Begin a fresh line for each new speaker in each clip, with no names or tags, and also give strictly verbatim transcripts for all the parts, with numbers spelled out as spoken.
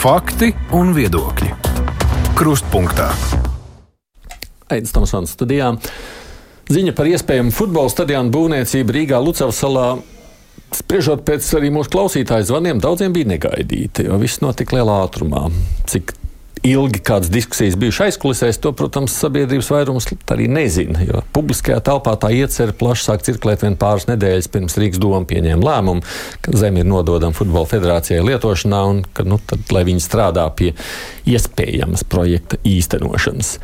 Fakti un viedokļi. Krustpunktā.
Aidis Tomsons studijā. Ziņa par iespējamu futbola stadionu būvniecību Rīgā Lucavas salā, spriežot pēc arī mūsu klausītāju zvaniem, daudziem bija negaidīta, jo viss notika lielā ātrumā. Cik ilgi kādas diskusijas bijušas aizkulisēs, to, protams, sabiedrības vairums arī nezina, jo publiskajā telpā tā iecer plaši sāk cirkulēt vien pāris nedēļas pirms Rīgas doma pieņēma lēmumu, ka zeme ir nododama Futbola federācijai lietošanā un ka, nu, tad, lai viņi strādā pie iespējamas projekta īstenošanas.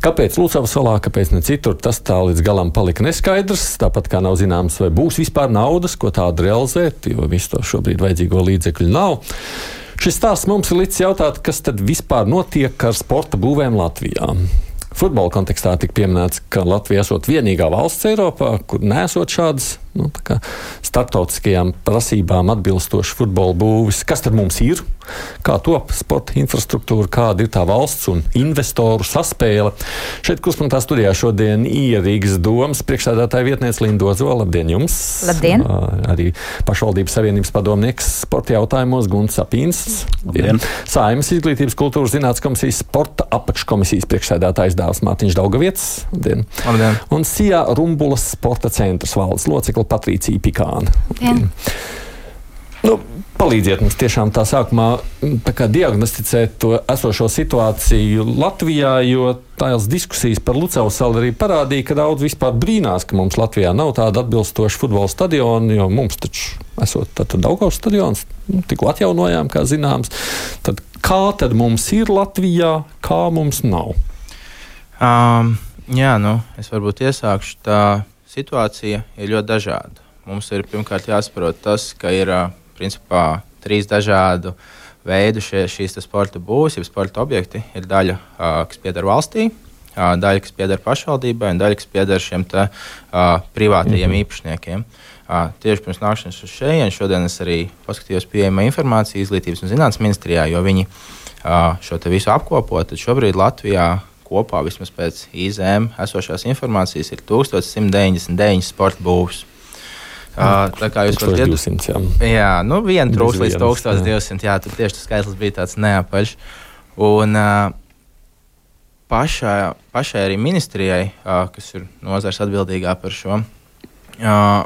Kāpēc Lucavas salā, kāpēc ne citur, tas tā līdz galam palika neskaidrs, tāpat kā nav zināms, vai būs vispār naudas, ko tādu realizēt, jo visu to šobrīd vajadzīgo līdzekļu nav. Šis stāsts mums ir līdz jautāt, kas tad vispār notiek ar sporta būvēm Latvijā. Futbola kontekstā tika pieminēts, ka Latvija esot vienīgā valsts Eiropā, kur nesot šādas nu, tā kā starptautiskajām prasībām atbilstoši futbola būvis. Kas tad mums ir? Kā top sporta infrastruktūra, kāda ir tā valsts un investoru saspēle? Šeit Krustpunktā studijā šodien ir Rīgas domas priekšsēdētāja vietniece Linda Ozola. Labdien jums!
Labdien!
Arī pašvaldības savienības padomnieks sporta jautājumos Gunts Sapīns.
Labdien!
Saeimas izglītības kultūras zinātnes komisijas sporta apakškomisijas priekšsēdētājs Dāvs Mārtiņš Daugavietis. Labdien!
Labdien!
Un Sijā Rumbulas sporta centras valdes locekla Patricija Pikāna.
Labdien!
Nu, palīdziet mums tiešām tā sākumā tā kā diagnosticēt to esošo situāciju Latvijā, jo tās diskusijas par Lucavas salu arī parādīja, ka daudz vispār brīnās, ka mums Latvijā nav tāda atbilstoša futbola stadiona, jo mums taču esot tātad Daugavas stadions, nu, tikko atjaunojām, kā zināms. Tad kā tad mums ir Latvijā, kā mums nav?
Um, jā, nu, es varbūt iesākšu. Tā situācija ir ļoti dažāda. Mums ir pirmkārt jāsaprot tas, ka ir principā trīs dažādu veidu šie, šīs sporta būvs, ja sporta objekti ir daļa, kas pieder valstī, daļa, kas pieder pašvaldībai un daļa, kas pieder šiem te, privātajiem mm-hmm. īpašniekiem. Tieši pirms nākšanas uz šejien šodien es arī paskatījos pieejamā informācija Izglītības un zinātnes ministrijā, jo viņi šo te visu apkopo, tad šobrīd Latvijā kopā vismaz pēc I Z M esošās informācijas ir tūkstoš simt deviņdesmit deviņi sporta būvs. Uh, tā kā jūs varat
divsimt, jā.
Jā, nu viena trūks līdz tūkstoš divsimt, jā, tad tieši tas skaitlis bija tāds neapaļš. Un uh, pašā, pašai arī ministrijai, uh, kas ir nozars atbildīgā par šo, uh,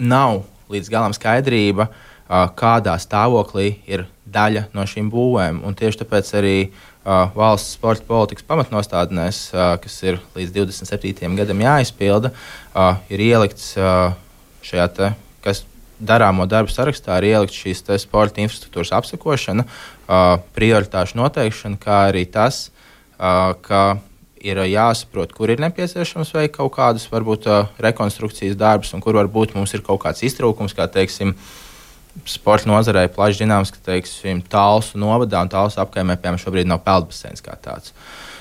nav līdz galam skaidrība, uh, kādā stāvoklī ir daļa no šīm būvēm. Un tieši tāpēc arī uh, valsts sporta politikas pamatnostādnēs, uh, kas ir līdz divdesmit septītajam gadam jāizpilda, uh, ir ielikts uh, šajā te, kas darāmo darbu sarakstā, ir ielikt šīs te sporta infrastruktūras apsekošana, uh, prioritāšu noteikšana, kā arī tas, uh, ka ir jāsaprot, kur ir nepieciešams veikt kaut kādus, varbūt, uh, rekonstrukcijas darbus, un kur varbūt mums ir kaut kāds iztrūkums, kā, teiksim, sporta nozarei plaši zināms, ka, teiksim, Talsu novadā un Talsu apkaimē, piemēram, šobrīd nav peldbaseins kā tāds.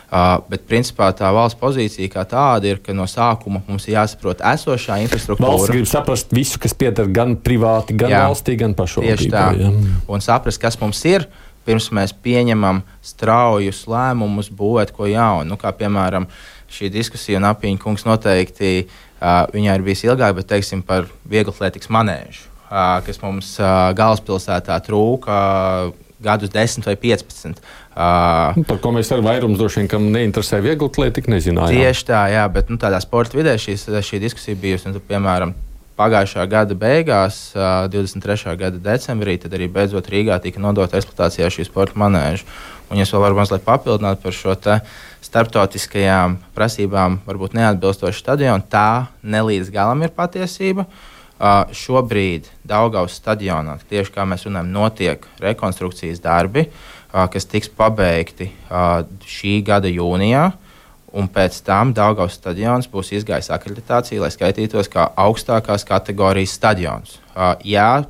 Uh, bet, principā, tā valsts pozīcija kā tāda ir, ka no sākuma mums ir jāsaprot esošā infrastruktūra.
Valsts grib saprast visu, kas pieder gan privāti, gan jā, valstī, gan pašvaldībai.
Tieši tā. Jā. Un saprast, kas mums ir, pirms mēs pieņemam straujus lēmumus būvēt ko jaunu. Nu, kā, piemēram, šī diskusija, un Apiņa kungs noteikti, uh, viņai ir bijis ilgāk, bet, teiksim, par vieglatlētikas manēžu, uh, kas mums uh, galvaspilsētā trūka uh, gadus desmit vai piecpadsmit. Uh,
par ko mēs ar vairums droši vien, kam neinteresē vieglatlētika, nezinājām.
Tieši tā, jā, bet nu, tādā sporta vidē šīs, šī diskusija bijusi. Un, tad, piemēram, pagājušā gada beigās, uh, divdesmit trešā gada decembrī, tad arī beidzot Rīgā tika nodota eksploatācijā šī sporta manēža. Un, ja es vēl varu mazliet papildināt par šo te starptautiskajām prasībām, varbūt neatbilstošu stadionu, tā nelīdz galam ir patiesība. Uh, šobrīd Daugavas stadionā, tieši kā mēs runājam, notiek rekonstrukcijas darbi, uh, kas tiks pabeigti uh, šī gada jūnijā, un pēc tam Daugavas stadions būs izgājis akreditāciju, lai skaitītos kā augstākās kategorijas stadions. Uh, jā,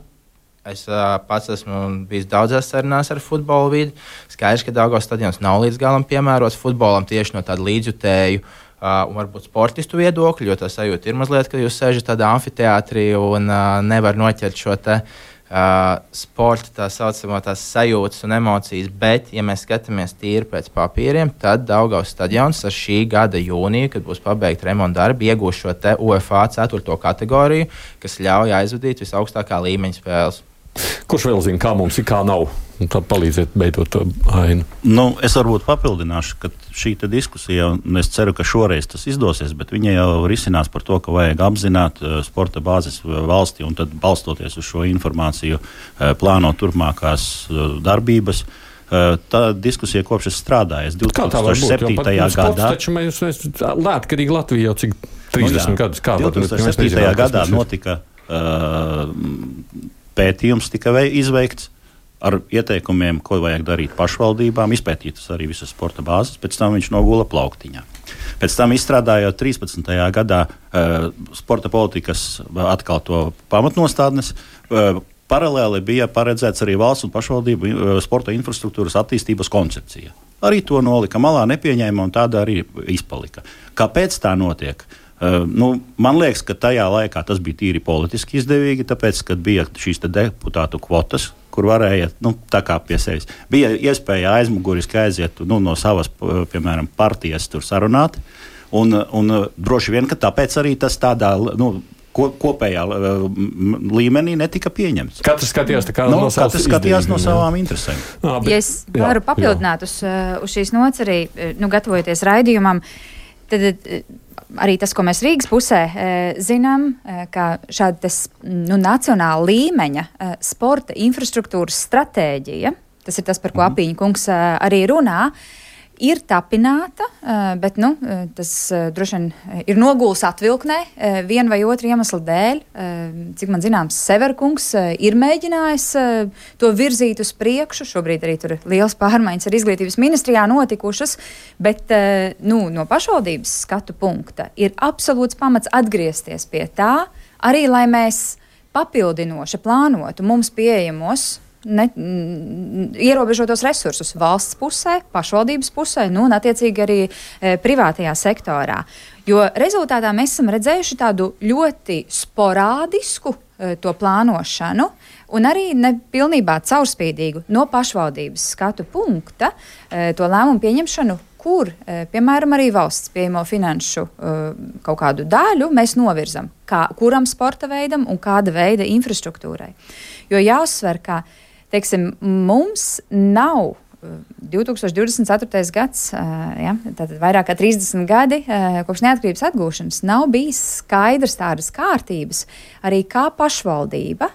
es uh, pats esmu bijis daudzās sarunās ar futbola vidi. Skaidrs, ka Daugavas stadions nav līdz galam piemērots futbolam tieši no tāda līdzjutēju Uh, un varbūt sportistu viedokļu, jo tā sajūta ir mazliet, ka jūs sēžat tādā amfiteātrī un uh, nevar noķert šo te uh, sporta tā saucamo tās sajūtas un emocijas, bet, ja mēs skatāmies tīri pēc papīriem, tad Daugavas stadions ar šī gada jūniju, kad būs pabeigta remonta darbi, iegūs šo te UEFA ceturto kategoriju, kas ļauj aizvadīt visaugstākā līmeņa spēles.
Kurš vēl zina, kā mums ir, kā nav? un tā palīdzēt beidot to ainu.
Nu, es varbūt papildināšu, ka šī diskusija, un es ceru, ka šoreiz tas izdosies, bet viņa jau risinās par to, ka vajag apzināt sporta bāzes valstī un tad balstoties uz šo informāciju plānot turpmākās darbības. Tā diskusija kopš es strādāju. divi tūkstoši septītajā gadā.
Taču mēs, mēs lētkarīgi Latvijā jau cik trīsdesmit nu, gadus kā.
divi tūkstoši septītajā gadā notika uh, pētījums, tika izveikts ar ieteikumiem, ko vajag darīt pašvaldībām, izpētītas arī visas sporta bāzes, pēc tam viņš nogula plauktiņā. Pēc tam izstrādājot trīspadsmitajā gadā uh, sporta politikas atkal to pamatnostādnes, uh, paralēli bija paredzēts arī valsts un pašvaldību sporta infrastruktūras attīstības koncepcija. Arī to nolika malā, nepieņēma un tāda arī izpalika. Kāpēc tā notiek? Uh, nu, man liekas, ka tajā laikā tas bija tīri politiski izdevīgi, tāpēc, kad bija šīs deputātu kvotas, kur varēja, nu, tā kā pie sevis. Bija iespēja aizmuguriski aiziet nu, no savas, piemēram, partijas tur sarunāt, un, un droši vien, ka tāpēc arī tas tādā, nu, kopējā uh, līmenī netika pieņemts.
Katrs skatījās tā kā no,
no savas skatījās no savām interesēm.
Jā, bet, ja es varu jā, papildināt jā. Uz, uz šīs nots arī, nu, gatavojoties raidījumam, tad arī tas, ko mēs Rīgas pusē zinām, ka šāda tas, nu, nacionāla līmeņa sporta infrastruktūras stratēģija, tas ir tas, par ko mm. Apīņa kungs arī runā, ir tapināta, bet nu, tas droši vien ir noguls atvilknē viena vai otra iemesla dēļ. Cik man zināms, Severkungs ir mēģinājis to virzīt uz priekšu. Šobrīd arī tur liels pārmaiņas ar izglītības ministrijā notikušas, bet nu, no pašvaldības skatu punkta ir absolūts pamats atgriezties pie tā, arī lai mēs papildinoši plānotu mums pieejamos Ne, m, ierobežotos resursus valsts pusē, pašvaldības pusē, nu, un attiecīgi arī e, privātajā sektorā. Jo rezultātā mēs esam redzējuši tādu ļoti sporādisku e, to plānošanu un arī nepilnībā caurspīdīgu no pašvaldības skatu punkta e, to lēmumu pieņemšanu, kur, e, piemēram, arī valsts pieejamo finanšu e, kaut kādu daļu mēs novirzam, kā, kuram sporta veidam un kāda veida infrastruktūrai. Jo jāuzsver, ka teiksim, mums nav divi tūkstoši divdesmit ceturtais gads, ja, tātad vairāk kā trīsdesmit gadi kopš neatkarības atgūšanas, nav bijis skaidrs tādas kārtības, arī kā pašvaldība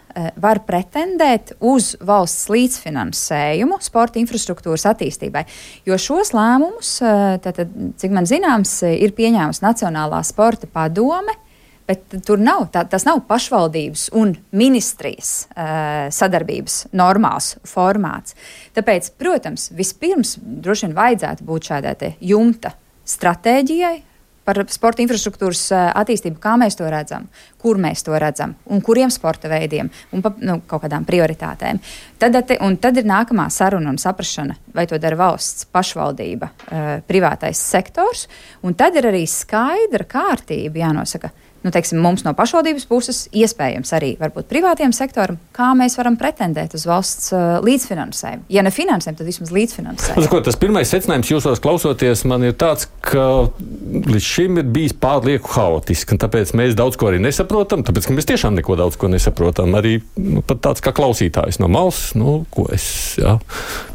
var pretendēt uz valsts līdzfinansējumu sporta infrastruktūras attīstībai. Jo šos lēmumus, tātad, cik man zināms, ir pieņēmusi Nacionālā sporta padome, bet tur nav, tā, tas nav pašvaldības un ministrijas uh, sadarbības normāls formāts. Tāpēc, protams, vispirms droši vien vajadzētu būt šādai te jumta stratēģijai par sporta infrastruktūras uh, attīstību, kā mēs to redzam, kur mēs to redzam un kuriem sporta veidiem un pa, nu, kaut kādām prioritātēm. Tad, un tad ir nākamā saruna un saprašana, vai to dara valsts, pašvaldība, uh, privātais sektors, un tad ir arī skaidra kārtība jānosaka, nu, teiksim, mums no pašvaldības puses, iespējams arī varbūt privātiem sektoram, kā mēs varam pretendēt uz valsts uh, līdzfinansējumu. Ja ne finansējumu, tad vismaz līdzfinansējumu. Ko,
tas pirmais secinājums jūsos klausoties man ir tāds, ka līdz šim ir bijis pārlieku haotiski, un tāpēc mēs daudz ko arī nesaprotam, tāpēc, ka mēs tiešām neko daudz ko nesaprotam. Arī nu, pat tāds kā klausītājs no malas, nu, ko es, jā,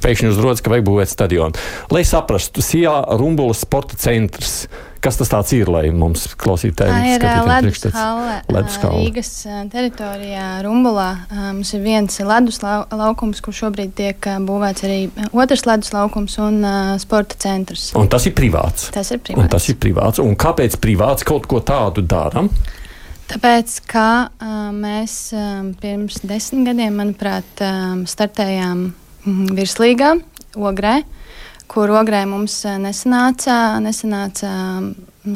pēkšņi uzrodas, ka vajag būvēt stadionu. Lai saprastu, Sijā Rumbulas sporta centrs. Kas tas tāds ir, lai mums klausītājiem
skatītājiem priekšstats? Rīgas teritorijā Rumbulā mums ir viens ledus lau, laukums, kur šobrīd tiek būvēts arī otrs ledus laukums un uh, sporta centrs.
Un tas ir privāts?
Tas ir privāts.
Un tas ir privāts. Un kāpēc privāts kaut ko tādu daram?
Tāpēc, ka uh, mēs um, pirms desmit gadiem, manuprāt, um, startējām mm, virslīgā Ogrē, kur Ogrē mums nesanāca, nesanāca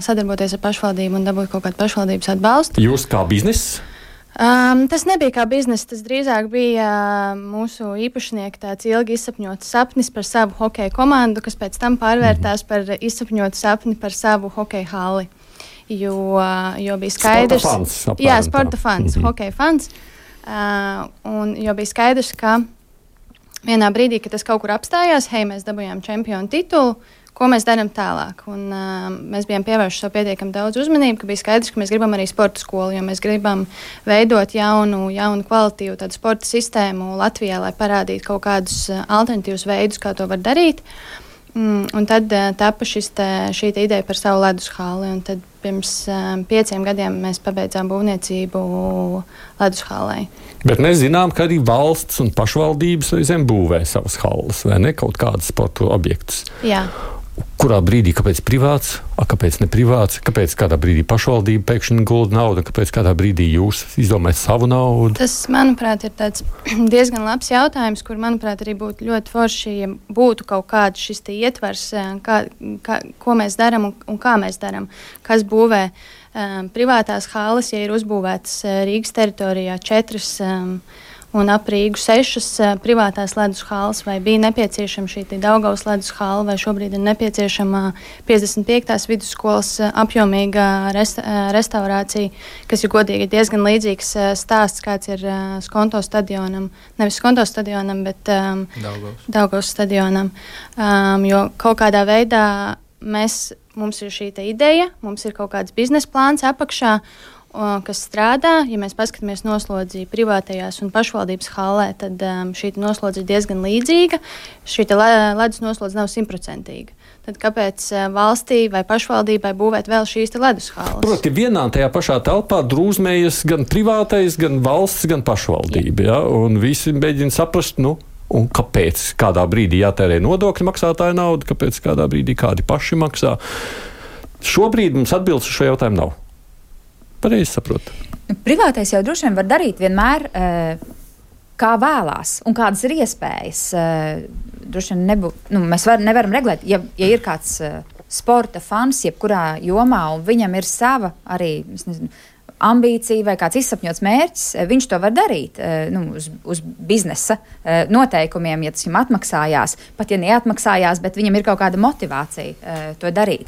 sadarboties ar pašvaldību un dabūt kaut kādu pašvaldības atbalstu.
Jūs kā bizness?
Um, tas nebija kā bizness, tas drīzāk bija mūsu īpašnieka tāds ilgi izsapņots sapnis par savu hokeja komandu, kas pēc tam pārvērtās par izsapņotu sapni par savu hokeja halli. Jo, jo bija skaidrs...
Sporta fans. Apmēram,
jā, sporta fans,
mm-hmm.
hokeja fans. Uh, un jo bija skaidrs, ka vienā brīdī, kad tas kaut kur apstājās, hei, mēs dabūjām čempionu titulu, ko mēs darām tālāk. Un, uh, mēs bijām pievērši savu pietiekami daudz uzmanību, ka bija skaidrs, ka mēs gribam arī sporta skolu, jo mēs gribam veidot jaunu, jaunu kvalitīvu tādu sporta sistēmu Latvijā, lai parādītu kaut kādus alternatīvus veidus, kā to var darīt. Mm, un tad uh, tapa šis te, šī te ideja par savu ledus halli. Un tad pirms uh, pieciem gadiem mēs pabeidzām būvniecību ledus hallei.
Bet mēs zinām, ka arī valsts un pašvaldības reizēm būvē savas halles, vai ne, kaut kādus sporta objektus.
Jā.
Kurā brīdī, kāpēc privāts, a, kāpēc ne privāts, kāpēc kādā brīdī pašvaldība pēkšņi gulda naudu, kāpēc kādā brīdī jūs izdomājat savu naudu?
Tas, manuprāt, ir tāds diezgan labs jautājums, kur, manuprāt, arī būtu ļoti forši, ja būtu kaut kāds šis te ietvers, kā, kā, ko mēs darām un, un kā mēs darām, kas būvē um, privātās halles, ja ir uzbūvētas Rīgas teritorijā četras um, un ap Rīgu sešas uh, privātās ledus halles, vai bija nepieciešama šī Daugavas ledus halle, vai šobrīd ir nepieciešama piecdesmit piektās vidusskolas uh, apjomīga resta, uh, restaurācija, kas ir godīgi diezgan līdzīgs uh, stāsts, kāds ir uh, Skonto stadionam, nevis Skonto stadionam, bet um,
Daugavas.
Daugavas stadionam, um, jo kaut kādā veidā mēs, mums ir šī te ideja, mums ir kaut kāds biznesa plāns apakšā, kas strādā. Ja mēs paskatāmies noslodzi privātajās un pašvaldības hallē, tad um, šī noslodze ir diezgan līdzīga. Šī ledus noslodze nav simtprocentīga. Tad kāpēc uh, valstī vai pašvaldībai būvēt vēl šīs ledus halles?
Proti, vienā tajā pašā telpā drūzmējas gan privātais, gan valsts, gan pašvaldība. Ja? Un visi mēģina saprast, nu, un kāpēc kādā brīdī jātērē nodokļu maksātāju naudu, kāpēc kādā brīdī kādi paši maksā. Šobrīd mums atbildes uz šo jautājumu nav. Pareizi saprotu.
Privātais jau droši vien var darīt vienmēr, kā vēlās un kādas ir iespējas. Droši vien nebū, nu, mēs var, nevaram regulēt, ja, ja ir kāds sporta fans, jebkurā jomā, un viņam ir sava arī, es nezinu, ambīcija vai kāds izsapņots mērķis, viņš to var darīt nu, uz, uz biznesa noteikumiem, ja tas viņam atmaksājās, pat ja neatmaksājās, bet viņam ir kaut kāda motivācija to darīt.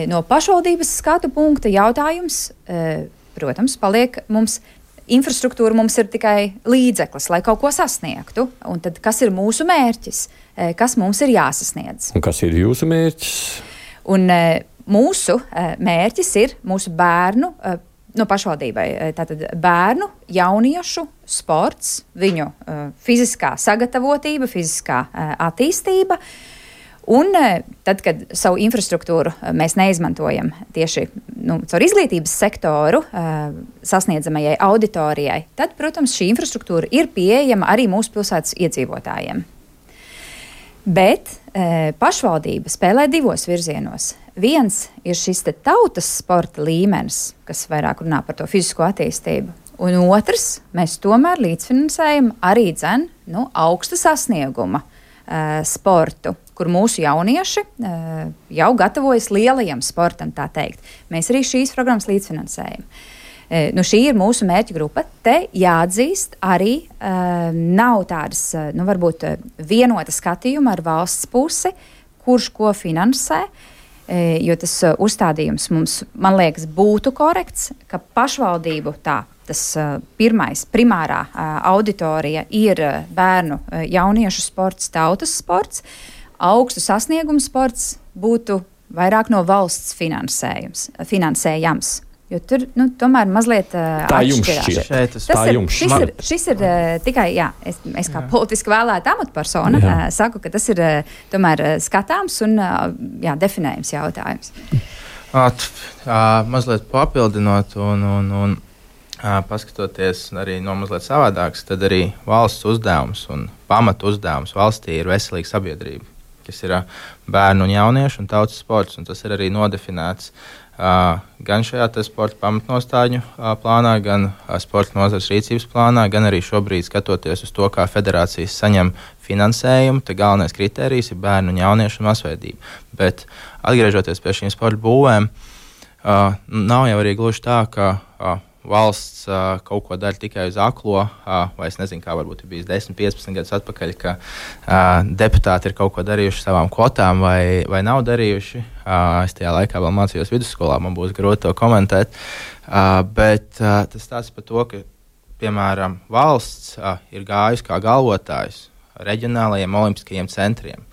No pašvaldības skatu punkta jautājums, protams, paliek mums infrastruktūra, mums ir tikai līdzeklis, lai kaut ko sasniegtu. Un tad, kas ir mūsu mērķis, kas mums ir jāsasniedz?
Un kas ir jūsu mērķis?
Un mūsu mērķis ir mūsu bērnu, no pašvaldībai, tātad bērnu, jauniešu sports, viņu fiziskā sagatavotība, fiziskā attīstība. Un tad, kad savu infrastruktūru mēs neizmantojam tieši nu, caur izglītības sektoru sasniedzamajai auditorijai, tad, protams, šī infrastruktūra ir pieejama arī mūsu pilsētas iedzīvotājiem. Bet e, pašvaldība spēlē divos virzienos. Viens ir šis te tautas sporta līmenis, kas vairāk runā par to fizisko attīstību. Un otrs, mēs tomēr līdzfinansējam arī dzen, nu, augsta sasnieguma e, sportu, kur mūsu jaunieši uh, jau gatavojas lielajam sportam, tā teikt. Mēs arī šīs programmas līdzfinansējam. Uh, nu, šī ir mūsu mērķa grupa. Te jāatzīst arī uh, nav tādas, uh, nu, varbūt uh, vienota skatījuma ar valsts pusi, kurš ko finansē, uh, jo tas uh, uzstādījums mums, man liekas, būtu korekts, ka pašvaldību tā, tas uh, pirmais, primārā uh, auditorija ir uh, bērnu uh, jauniešu sports, tautas sports. Augstu sasniegumu sports būtu vairāk no valsts finansējams. Jo tur nu, tomēr mazliet uh,
tā jums šķiet.
Tas
tā
ir,
jums
šis
šķiet.
ir, šis ir uh, tikai, jā, es, es kā jā. politiski vēlēta amatpersona uh, saku, ka tas ir uh, tomēr uh, skatāms un uh, jā, definējams jautājums.
At, uh, mazliet papildinot un, un, un uh, paskatoties arī no mazliet savādāks, tad arī valsts uzdevums un pamatu uzdevums valstī ir veselīga sabiedrība, kas ir uh, bērnu un jauniešu un tautas sports, un tas ir arī nodefinēts uh, gan šajā sporta pamatnostāļu uh, plānā, gan uh, sporta nozares rīcības plānā, gan arī šobrīd skatoties uz to, kā federācijas saņem finansējumu, tad galvenais kritērijs ir bērnu un jauniešu masveidība. Bet atgriežoties pie šīm sporta būvēm, uh, nav jau arī gluži tā, ka uh, valsts uh, kaut ko dara tikai uz aklo, uh, vai es nezinu, kā varbūt ir bijis desmit, piecpadsmit gadus atpakaļ, ka uh, deputāti ir kaut ko darījuši savām kvotām vai, vai nav darījuši. Uh, es tajā laikā vēl mācījos vidusskolā, man būs grūti to komentēt, uh, bet uh, tas stāsta par to, ka, piemēram, valsts uh, ir gājusi kā galvotājs reģionālajiem olimpiskajiem centriem.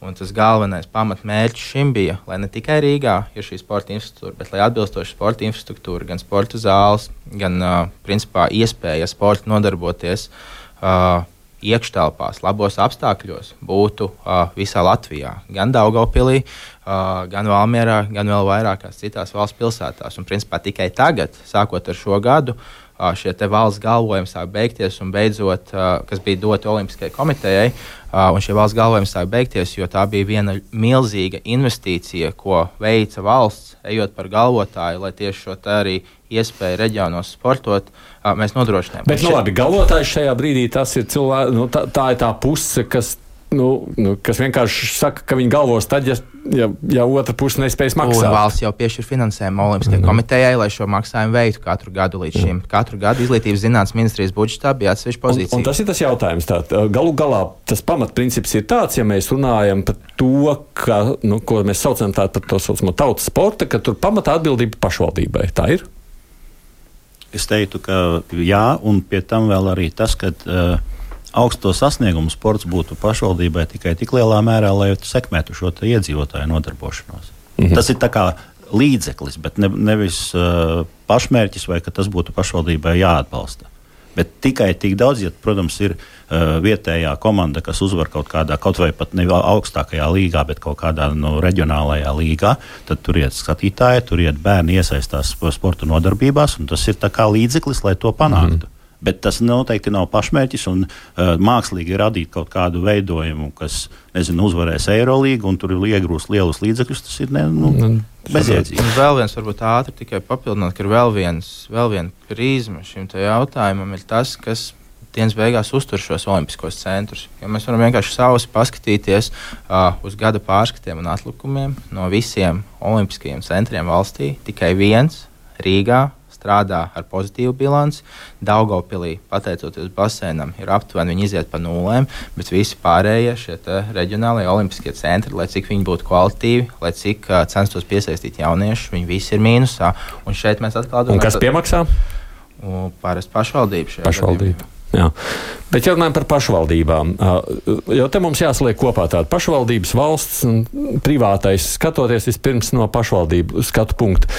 Un tas galvenais pamatmērķis šim bija, lai ne tikai Rīgā ir šī sporta infrastruktūra, bet lai atbilstoši sporta infrastruktūra, gan sporta zāles, gan uh, principā iespēja sporta nodarboties uh, iekštelpās, labos apstākļos būtu uh, visā Latvijā, gan Daugavpilī, uh, gan Valmierā, gan vēl vairākās citās valsts pilsētās. Un principā tikai tagad, sākot ar šo gadu, uh, šie te valsts galvojumi sāk beigties un beidzot, uh, kas bija doti Olimpiskajai komitejai, uh, un šie valsts galvojumi sāk beigties, jo tā bija viena milzīga investīcija, ko veica valsts, ejot par galvotāju, lai tieši šo te arī iespēju reģionos sportot, uh, mēs nodrošinām.
Bet, nu, labi, galvotājs šajā brīdī tas ir cilvēks, nu, tā, tā ir tā puse, kas, nu, nu, kas vienkārši saka, ka viņi galvos tad, ja, ja, ja otra puse nespējas maksāt.
Un valsts jau piešķir finansējumu Olimpiskajai mm. komitejai, lai šo maksājumu veiktu katru gadu līdz šim. Mm. Katru gadu Izglītības zinātnes ministrijas budžetā bija atsevišķa pozīcija.
Un, un tas ir tas jautājums. Tā, galu galā tas pamatprincips ir tāds, ja mēs runājam par to, ka, nu, ko mēs saucam tā, par to saucamo tautas sporta, ka tur pamatā atbildība pašvaldībai. Tā ir?
Es teiktu, ka jā, un pie tam vēl arī tas, ka uh, augsto sasniegumu sports būtu pašvaldībai tikai tik lielā mērā, lai sekmētu šo iedzīvotāju nodarbošanos. Mm-hmm. Tas ir tā kā līdzeklis, bet ne, nevis uh, pašmērķis, vai ka tas būtu pašvaldībai jāatbalsta. Bet tikai tik daudz, ja, protams, ir uh, vietējā komanda, kas uzvar kaut kādā, kaut vai pat ne augstākajā līgā, bet kaut kādā no reģionālajā līgā, tad tur iet skatītāji, tur iet bērni iesaistās sporta nodarbībās, un tas ir tā kā līdzeklis, lai to panāktu. Mm. Bet tas noteikti nav pašmērķis, un uh, mākslīgi radīt kaut kādu veidojumu, kas, nezinu, uzvarēs Eirolīgu, un tur iegrūst lielus līdzekļus, tas ir ne, nu, mm. bezjēdzīgi.
Un vēl viens, varbūt ātri tikai papildināt, ka ir vēl viens, vēl viena prizma šim te jautājumam ir tas, kas dienas beigās uztur šos olimpiskos centrus. Jo mēs varam vienkārši savus paskatīties uh, uz gada pārskatiem un atlikumiem no visiem olimpiskajiem centriem valstī. Tikai viens Rīgā strādā ar pozitīvu bilanci. Daugavpilī, pateicoties basēnam, ir aptuveni viņi iziet pa nulēm, bet visi pārējie šie reģionālie olimpiskie centri, lai cik viņi būtu kvalitīvi, lai cik uh, censtos piesaistīt jauniešus, viņi visi ir mīnusā. Un šeit mēs atkal domājam.
Un kas piemaksā?
Parasti pašvaldība šajā
pašvaldība. Jā. Bet, ja runājam par pašvaldībām, jo te mums jāsaliek kopā tāda pašvaldības, valsts un privātais, skatoties vispirms no pašvaldību skatu punktu.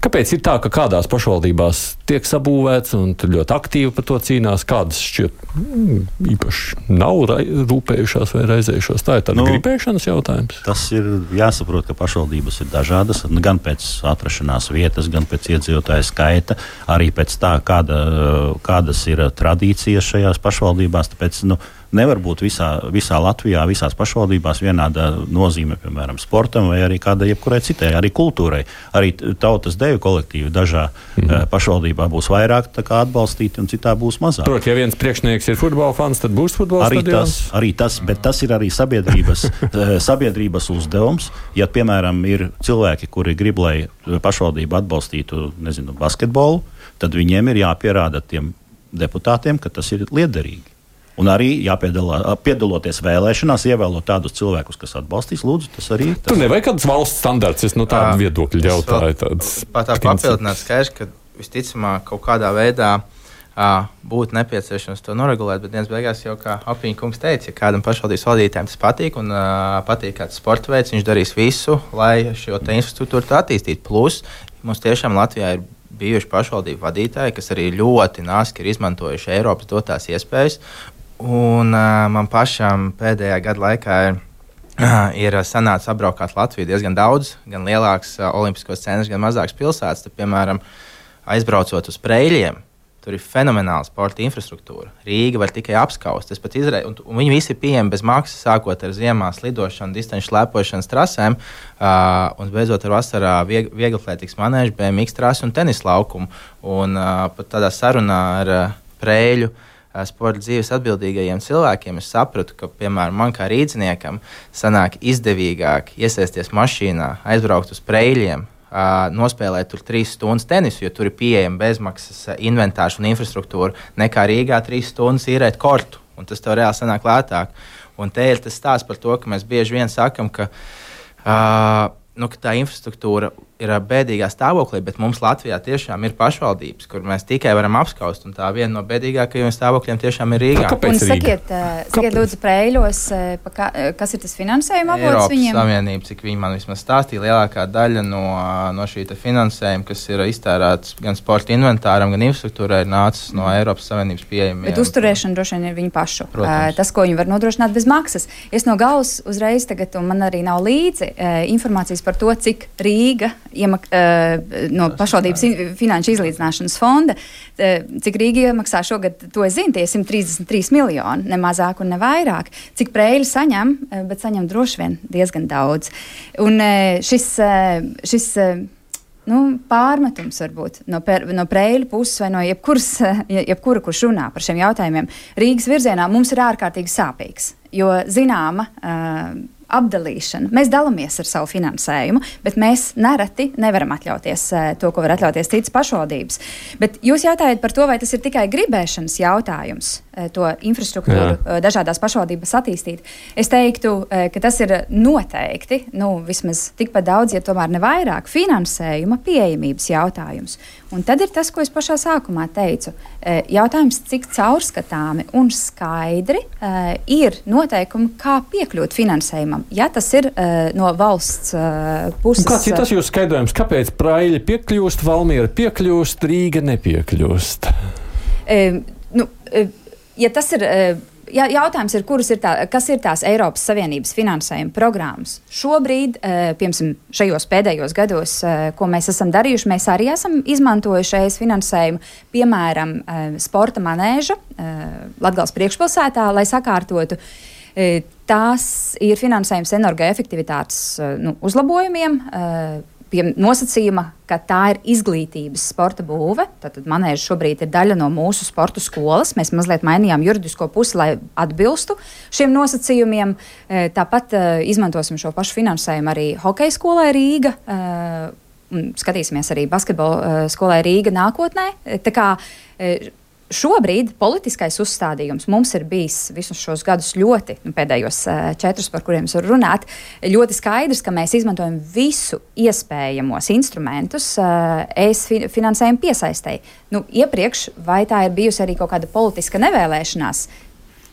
Kāpēc ir tā, ka kādās pašvaldībās tiek sabūvēts un tur ļoti aktīvi par to cīnās, kādas šķiet mm, īpaši nav rūpējušās vai raizējušās? Tā ir tāda nu, gribēšanas jautājums.
Tas ir jāsaprot, ka pašvaldības ir dažādas, gan pēc atrašanās vietas, gan pēc iedzīvotāju skaita, arī pēc tā, kāda, kādas ir tradīcijas šajās pašvaldībās. Tāpēc, nu, nevar būt visā, visā Latvijā, visās pašvaldībās vienāda nozīme, piemēram, sportam vai arī kādai jebkurai citai, arī kultūrai. Arī tautas deju kolektīvi dažā mm. pašvaldībā būs vairāk atbalstīti un citā būs mazāk.
Protams, ja viens priekšnieks ir futbola fans, tad būs futbola
arī
stadions?
Tas, arī tas, bet tas ir arī sabiedrības, sabiedrības uzdevums. Ja, piemēram, ir cilvēki, kuri grib, lai pašvaldība atbalstītu, nezinu, basketbolu, tad viņiem ir jāpierāda tiem deputātiem, ka tas ir liederīgi. Un arī jāpiedaloties vēlēšanās, ievēlot tādus cilvēkus, kas atbalstīs, lūdzu, tas arī ir.
Tur nevajag kādas valsts standarts, es no tādu viedokļu jautāju.
Pat tā papildināt skaidrs, ka visticamāk kaut kādā veidā uh, būtu nepieciešams to noregulēt, bet dienas beigās jau, kā Apiņa kungs teica, ja kādam pašvaldības vadītājiem tas patīk un uh, patīk kāds sporta veids, viņš darīs visu, lai šo te infrastruktūru attīstītu. Plus, mums tiešām Latvijā ir bijuši pašvaldību vadītāji, kas arī ļoti nāski ir izmantojuši Eiropas dotās iespējas. Un uh, man pašam pēdējā gada laikā ir, uh, ir sanācis apbraukāt Latviju diezgan daudz, gan lielāks uh, olimpiskos centrus, gan mazāks pilsētas. Tad, piemēram, aizbraucot uz Preiļiem, tur ir fenomenāla sporta infrastruktūra. Rīga var tikai apskaust. Izre... Un, un viņi visi ir pieejami bez maksas, sākot ar ziemā slidošanu, distanču slēpošanas trasēm, uh, un beidzot ar vasarā vieg vieglplētīgas manēžu, B M X trasi un tenis laukumu. Un uh, pat tādā sarunā ar uh, Preiļu sporta dzīves atbildīgajiem cilvēkiem, es sapratu, ka, piemēram, man kā rīdzniekam sanāk izdevīgāk iesaisties mašīnā, aizbraukt uz Preiļiem, nospēlēt tur trīs stundas tenisu, jo tur ir pieejama bezmaksas inventārs un infrastruktūra, nekā Rīgā trīs stundas īrēt kortu, un tas tev reāli sanāk lētāk. Un te ir tas stāsts par to, ka mēs bieži vien sakam, ka, uh, nu, ka tā infrastruktūra ir bēdīgā stāvoklī, bet mums Latvijā tiešām ir pašvaldības, kur mēs tikai varam apskaust, un tā viena no bēdīgākajiem stāvokļiem tiešām ir Rīgā.
Kāpēc
un sakiet, uh, sakiet lūdzu Preiļos, uh, ka, kas ir tas finansējuma avots
Eiropas
viņiem?
Savienība, cik viņi man vismaz stāstīja, lielākā daļa no, no šī finansējuma, kas ir iztērēts gan sporta inventāram, gan infrastruktūrai, ir nācis no Eiropas Savienības pieejamiem.
Bet uzturēšana droši vien ir viņu pašu.
Protams.
Uh, tas, ko viņi var nodrošināt bez maksas. Es no galvas uzreiz tagad, un man arī nav līdzi uh, informācijas par to, cik Rīga iemak, uh, no pašvaldības finanšu izlīdzināšanas fonda, cik Rīga iemaksā šogad, to es zinu, tie simt trīsdesmit trīs miljoni, ne mazāk un ne vairāk. Cik Preiļi saņem, bet saņem droši vien diezgan daudz. Un šis, šis nu, pārmetums varbūt no, per, no Preiļu puses vai no jebkuras, jebkura, kurš runā par šiem jautājumiem, Rīgas virzienā mums ir ārkārtīgi sāpīgs, jo zināma uh, apdalīšana. Mēs dalāmies ar savu finansējumu, bet mēs nereti nevaram atļauties uh, to, ko var atļauties citas pašvaldības. Bet jūs jautājat par to, vai tas ir tikai gribēšanas jautājums, uh, to infrastruktūru uh, dažādās pašvaldības attīstīt. Es teiktu, uh, ka tas ir noteikti, nu, vismaz tikpat daudz, ja tomēr ne vairāk, finansējuma pieejamības jautājums. Un tad ir tas, ko es pašā sākumā teicu. Uh, jautājums, cik caurskatāmi un skaidri uh, ir noteikumi, kā piekļūt finansējumam. Ja tas ir uh, no valsts uh, puses.
Un kāds ir tas jūsu skaidrojums? Kāpēc Preiļi piekļūst, Valmiera piekļūst, Rīga nepiekļūst?
Uh, nu, uh, ja tas ir, uh, ja, jautājums ir, kuras ir tā, kas ir tās Eiropas Savienības finansējuma programmas. Šobrīd, uh, piemēram, šajos pēdējos gados, uh, ko mēs esam darījuši, mēs arī esam izmantojuši ES finansējumu, piemēram, uh, sporta manēža uh, Latgales priekšpilsētā, lai sakārtotu. Uh, Tās ir finansējums energoefektivitātes nu, uzlabojumiem, pie nosacījuma, ka tā ir izglītības sporta būve. Tātad manēža šobrīd ir daļa no mūsu sporta skolas. Mēs mazliet mainījām juridisko pusi, lai atbilstu šiem nosacījumiem. Tāpat izmantosim šo pašu finansējumu arī hokeja skolai Rīga. Un skatīsimies arī basketbola skolai Rīga nākotnē. Tā kā šobrīd politiskais uzstādījums mums ir bijis visus šos gadus ļoti, nu, pēdējos uh, četrus, par kuriem es varu runāt, ļoti skaidrs, ka mēs izmantojam visu iespējamos instrumentus uh, ES finansējumu piesaistēji. Nu, iepriekš, vai tā ir bijusi arī kaut kāda politiska nevēlēšanās,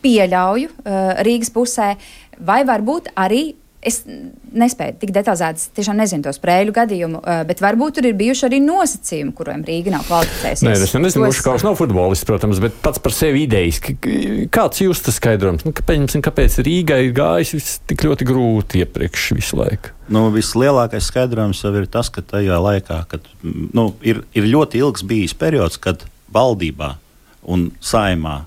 pieļauju uh, Rīgas pusē, vai varbūt arī es nespēju tik detalizēti, tiešām nezinu tos Preiļu gadījumu, bet varbūt tur ir bijuši arī nosacījumi, kuriem Rīga nav kvalificējusies.
Nē, es nezinu, Ušakovs nav futbolists, protams, bet pats par sevi idejiski. Kāds jūs tas skaidrojums? Nu, kāpēc, kāpēc Rīgai ir gājis tik ļoti grūti iepriekš visu laiku?
Nu, vislielākais skaidrojums jau ir tas, ka tajā laikā, kad nu, ir, ir ļoti ilgs bijis periods, kad valdībā un saimā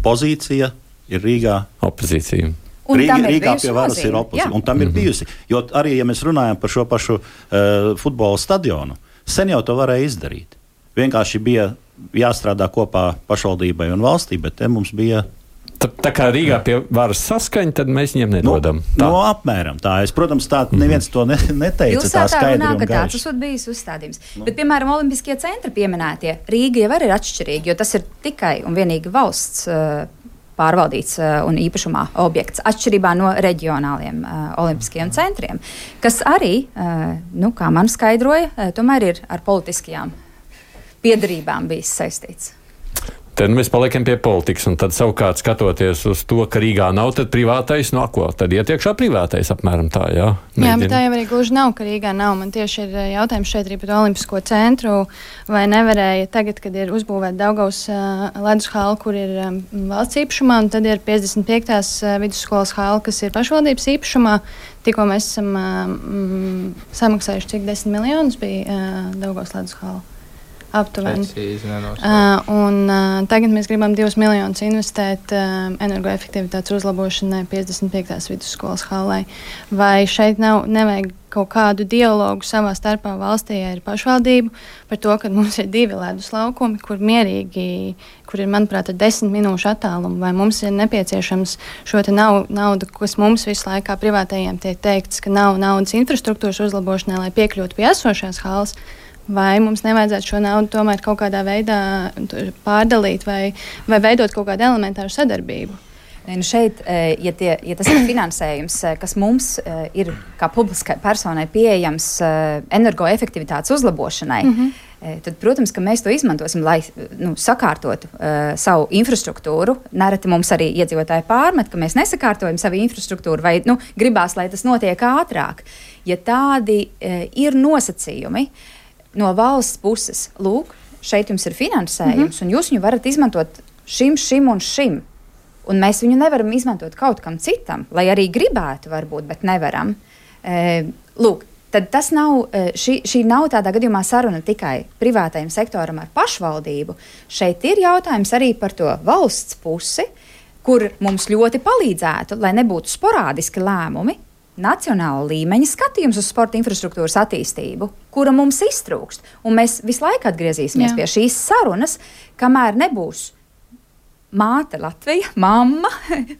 pozīcija ir Rīgā
opozīcija.
Un
Rīga,
ir
Rīgā pie varas ir opozīcija, un tam ir mm-hmm. bijusi. Jo arī, ja mēs runājam par šo pašu uh, futbola stadionu, sen jau to varēja izdarīt. Vienkārši bija jāstrādā kopā pašvaldībai un valstī, bet te mums bija...
Tā, tā kā Rīgā pie varas saskaņa, tad mēs viņiem nedodam.
No, no apmēram tā. Es, protams, tā neviens to ne, neteica.
Jūs
tā skaidri
runā,
un
ka tāds esot bijis uzstādījums. Nu. Bet, piemēram, Olimpiskie centri pieminētie, Rīga jau arī ir atšķirīgi, jo tas ir tikai un vienīgi valsts uh, pārvaldīts uh, un īpašumā objekts, atšķirībā no reģionāliem uh, olimpiskajiem centriem, kas arī, uh, nu, kā man skaidroja, uh, tomēr ir ar politiskajām piedarībām bijis saistīts.
Tad mēs paliekam pie politikas, un tad savukārt skatoties uz to, ka Rīgā nav, tad privātais no ko? Tad iet iekšā privātais apmēram tā, jā? Mēģina.
Jā, bet tā jau arī gluži nav, ka Rīgā nav. Man tieši ir jautājums šeit arī par Olimpisko centru, vai nevarēja tagad, kad ir uzbūvēta Daugavas uh, ledus hala, kur ir um, valsts īpašumā, un tad ir piecdesmit piektās uh, vidusskolas hala, kas ir pašvaldības īpašumā. Tikko mēs esam um, samaksājuši, cik desmit miljonus bija uh, Daugavas ledus hala. Aptuveni. Uh, un, uh, tagad mēs gribam divus miljonus investēt uh, energoefektivitātes uzlabošanai piecdesmit piektās vidusskolas hallai. Vai šeit nav, nevajag kaut kādu dialogu savā starpā valstī ar pašvaldību par to, ka mums ir divi ledus laukumi, kur mierīgi, kur ir, manuprāt, ar desmit minūšu attālumu, vai mums ir nepieciešams šo te nav, naudu, kas mums visu laikā privātajiem tiek teikts, ka nav naudas infrastruktūras uzlabošanai, lai piekļūtu pie esošās hallas. Vai mums nevajadzētu šo naudu tomēr kaut kādā veidā pārdalīt vai, vai veidot kaut kādu elementāru sadarbību?
Nu šeit, ja, tie, ja tas ir finansējums, kas mums ir kā publiskai personai pieejams energoefektivitātes uzlabošanai, mm-hmm. tad, protams, ka mēs to izmantosim, lai nu, sakārtotu uh, savu infrastruktūru. Nereti mums arī iedzīvotāji pārmet, ka mēs nesakārtojam savu infrastruktūru vai nu, gribās, lai tas notiek ātrāk. Ja tādi uh, ir nosacījumi no valsts puses, lūk, šeit jums ir finansējums, mm-hmm. un jūs viņu varat izmantot šim, šim un šim. Un mēs viņu nevaram izmantot kaut kam citam, lai arī gribētu, varbūt, bet nevaram. E, lūk, tad tas nav, šī, šī nav tādā gadījumā saruna tikai privātajam sektoram ar pašvaldību. Šeit ir jautājums arī par to valsts pusi, kur mums ļoti palīdzētu, lai nebūtu sporādiski lēmumi, nacionāla līmeņa skatījums uz sporta infrastruktūras attīstību, kura mums iztrūkst. Un mēs visu laiku atgriezīsimies Jā. Pie šīs sarunas, kamēr nebūs māte Latvija, mamma,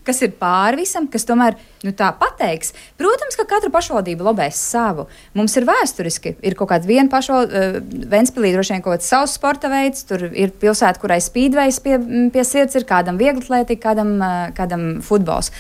kas ir pāri visam, kas tomēr nu, tā pateiks. Protams, ka katra pašvaldība lobēs savu. Mums ir vēsturiski, ir kaut kāda viena pašvaldība, uh, Ventspilī droši vien kaut kāds savs sporta veids, tur ir pilsēta, kurai spīdvejs pie, pie sirds ir, kādam vieglatlētika, kādam, uh, kādam futbols.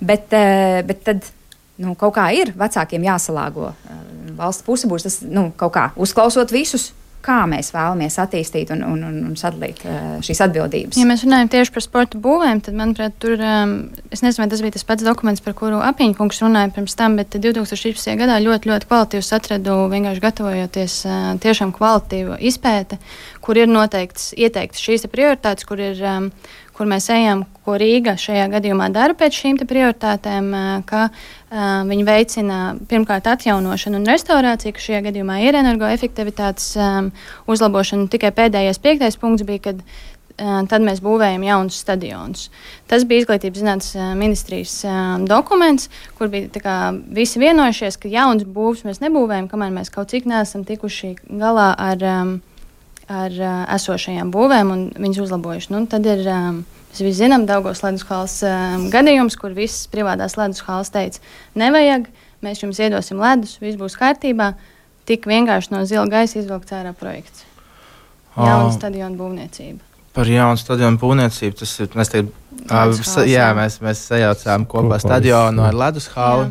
Bet, uh, bet tad nu, kaut kā ir vecākiem jāsalāgo. Uh, valsts puse būs tas, nu, kaut kā uzklausot visus, kā mēs vēlamies attīstīt un, un, un sadalīt uh, šīs atbildības.
Ja mēs runājam tieši par sporta būvēm, tad, manuprāt, tur, um, es nezinu, vai tas bija tas pats dokuments, par kuru Apiņkungs runāja pirms tam, bet divtūkstoš trīspadsmitajā gadā ļoti, ļoti kvalitīvs atradu, vienkārši gatavojoties uh, tiešām kvalitīvu izpēte, kur ir noteikts, ieteikts šīs prioritātes, kur ir, um, kur mēs ejam, ko Rīga šajā gadījumā dara pēc šīm prioritātēm, ka uh, viņi veicina pirmkārt atjaunošanu un restaurāciju, ka šajā gadījumā ir energoefektivitātes um, uzlabošana. Tikai pēdējais piektais punkts bija, kad uh, tad mēs būvējam jaunus stadionus. Tas bija Izglītības zinātnes uh, ministrijas uh, dokuments, kur bija tā kā visi vienojušies, ka jauns būvs mēs nebūvējam, kamēr mēs kaut cik neesam tikuši galā ar um, ar uh, esošajām būvēm un viņas uzlabojuši. Nu, tad ir, um, mēs visi zinām, Daugavas ledushalas um, gadījums, kur visas privātās ledushalas teica, nevajag, mēs jums iedosim ledus, viss būs kārtībā, tik vienkārši no zila gaisa izvilkts ārā projekts. Jauna stadiona būvniecība.
Par jaunu stadionu būvniecību, tas ir, mēs te, uh, jā, mēs, mēs sajaucām kopā stadionu ar ledushalu.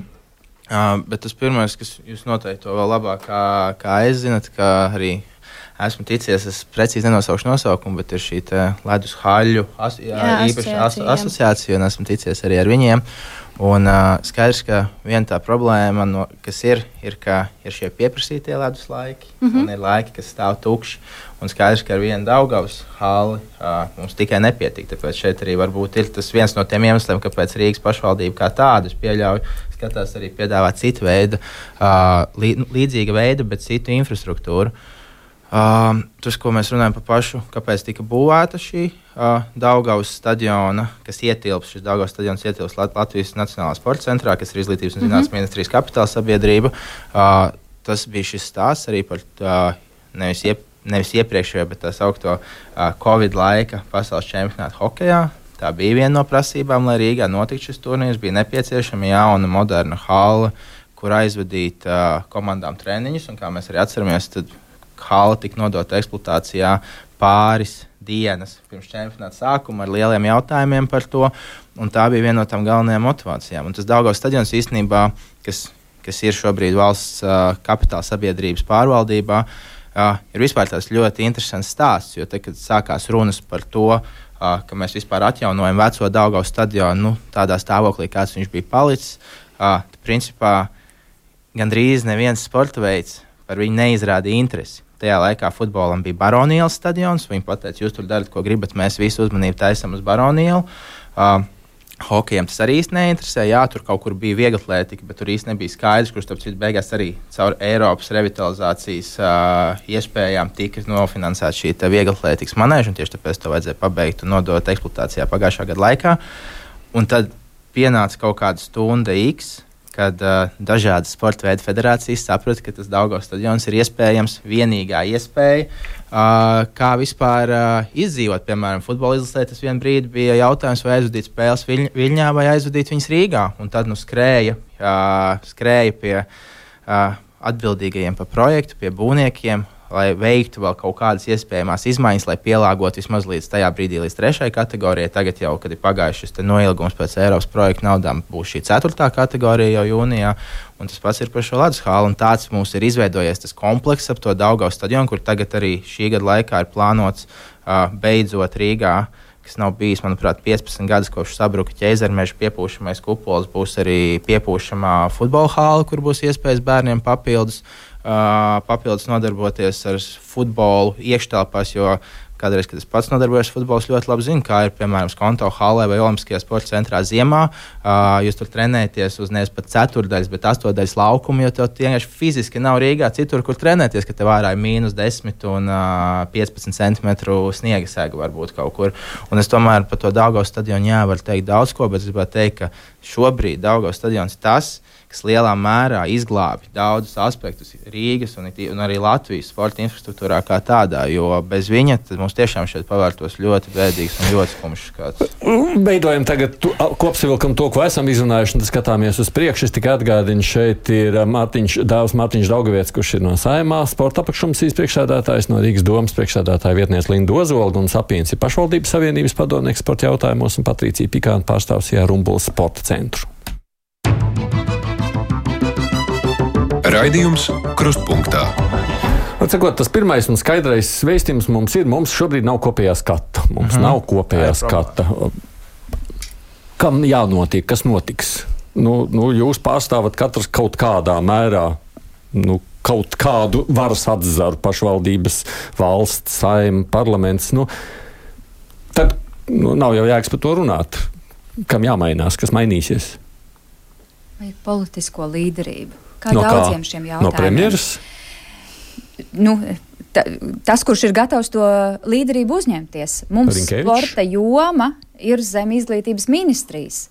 Uh, bet tas pirmais, kas jūs noteikti to vēl labāk, kā, kā es zinat, kā arī esmu ticies, es precīzi nenosaušu nosaukumu, bet ir šī ledus haļu as, jā, jā, īpaši as, asociācija, un esmu ticies arī ar viņiem. Un uh, skaidrs, ka viena tā problēma, no, kas ir, ir, ka ir šie pieprasītie ledus laiki, mm-hmm. un ir laiki, kas stāv tukši. Un skaidrs, ka ar vienu Daugavas hali uh, mums tikai nepietiek. Tāpēc šeit arī varbūt ir tas viens no tiem iemesliem, kāpēc Rīgas pašvaldība kā tādu pieļauj, skatās arī piedāvāt citu veidu, uh, lī, līdzīga veida, bet citu infrastruktūru. Uh, tas, ko mēs runājam par pašu, kāpēc tika būvēta šī uh, Daugavas stadiona, kas ietilps, šis Daugavas stadions ietilps Lat- Latvijas Nacionālā sporta centrā, kas ir Izglītības un zinātnes mm-hmm. ministrijas kapitāla sabiedrība. Uh, tas bija šis stāsts arī par uh, nevis, iep, nevis iepriekšējo, bet tā saukto uh, Covid laika pasaules čempionātu hokejā. Tā bija viena no prasībām, lai Rīgā notiktu šis turnīrs. Bija nepieciešama jauna, moderna hala, kur aizvadīt uh, komandām treniņus, un kā mēs arī atceramies, tad hala tika nodota eksploatācijā pāris dienas pirms čempionāta sākuma ar lieliem jautājumiem par to, un tā bija viena no tām galvenajām motivācijām. Un tas Daugavas stadions īstenībā, kas, kas ir šobrīd valsts uh, kapitāla sabiedrības pārvaldībā, uh, ir vispār tāds ļoti interesants stāsts, jo te, kad sākās runas par to, uh, ka mēs vispār atjaunojam veco Daugavas stadionu, nu, tādā stāvoklī, kāds viņš bija palicis, uh, tad, principā gandrīz neviens sporta veids par viņu neizrādīja interesi. Tajā laikā futbolam bija Baronielas stadions. Viņi pateica, jūs tur darat, ko gribat, mēs visu uzmanību taisam uz Baronielu. Uh, hokejam tas arī īsti neinteresē. Jā, tur kaut kur bija vieglatlētika, bet tur īsti nebija skaidrs, kurš tāpēc beigās arī caur Eiropas revitalizācijas uh, iespējām tika nofinansēta šī vieglatlētikas manēža, un tieši tāpēc to vajadzēja pabeigt un nodot eksploatācijā pagājušā gada laikā. Un tad pienāca kaut kāda stunda X, kad uh, dažādas sporta veidu federācijas saprata, ka tas Daugavas stadions ir iespējams vienīgā iespēja, uh, kā vispār uh, izdzīvot. Piemēram, futbola izlasē tas vien brīdi bija jautājums, vai aizvadīt spēles Viļ- Viļņā vai aizvadīt viņas Rīgā. Un tad nu skrēja, uh, skrēja pie uh, atbildīgajiem par projektu, pie būvniekiem, lai veiktu vēl kaut kādas iespējamās izmaiņas, lai pielāgotu vismaz līdz tajā brīdī, līdz trešajai kategorijai. Tagad jau, kad ir pagājušas šis noilgums pēc Eiropas projekta naudām, būs šī ceturtā kategorija jau jūnijā. Un tas pats ir par šo ledus hālu. Un tāds mums ir izveidojies tas komplekss ap to Daugavas stadionu, kur tagad arī šī gada laikā ir plānots uh, beidzot Rīgā, kas nav bijis, manuprāt, piecpadsmit gadus kopš sabruka ķēzermeža piepūšamais kupols, būs arī piepūšamā futbola hāla, kur būs iespējas bērniem papildus. Uh, papildus nodarboties ar futbolu iekštelpās, jo kādreiz, kad es pats nodarbojos ar futbolu, ļoti labi zinu, kā ir, piemēram, Skonto hallē vai Olimpiskajā sporta centrā ziemā. Uh, jūs tur trenēties uz nevis pat ceturdaļas, bet astodaļas laukumu, jo tev vienkārši fiziski nav Rīgā citur, kur trenēties, ka tev ārā ir mīnus desmit un uh, piecpadsmit centimetru sniega sēga varbūt kaut kur. Un es tomēr par to Daugavas stadionu jā, varu teikt daudz ko, bet es gribētu teikt, ka šobrīd Daugavas stadions tas, kas lielā mērā izglābi daudzus aspektus Rīgas un, un arī Latvijas sporta infrastruktūrā kā tādā, jo bez viņa mums tiešām šeit pavērtos ļoti bēdīgs un ļoti skumjš skats.
Beidojam tagad tu, kopsavilkam to, ko esam izrunājuši, un skatāmies uz priekšu. Es tikai atgādinu, šeit ir Mārtiņš, dāvs Mārtiņš Daugavietis, kurš ir no Saeimā, sporta apakškomisijas priekšsēdētājs, no Rīgas domas priekšsēdētāja vietniece Linda Ozolga un Sapīns ir pašvaldības savienības padomnieks sporta jautājumos un Patricija Pikāna pārstāvs Rumbulas sporta centru.
Raidījums Krustpunktā.
Atsakot, tas pirmais un skaidrais vēstījums mums ir, mums šobrīd nav kopējā skata. Mums mm-hmm. nav kopējā skata. Kam jānotiek, kas notiks? Nu, nu, jūs pārstāvat katrs kaut kādā mērā, nu, kaut kādu varas atzaru, pašvaldības, valsts, Saeima, parlaments. Nu, tad nu, nav jau jēgas par to runāt. Kam jāmainās, kas mainīsies?
Vai politisko līderību? Kā
no
daudziem
kā?
Šiem jautājumiem.
No premjeras?
Nu, ta, tas, kurš ir gatavs to līderību uzņemties. Mums
Rinkevičs?
Sporta joma ir zem izglītības ministrijas.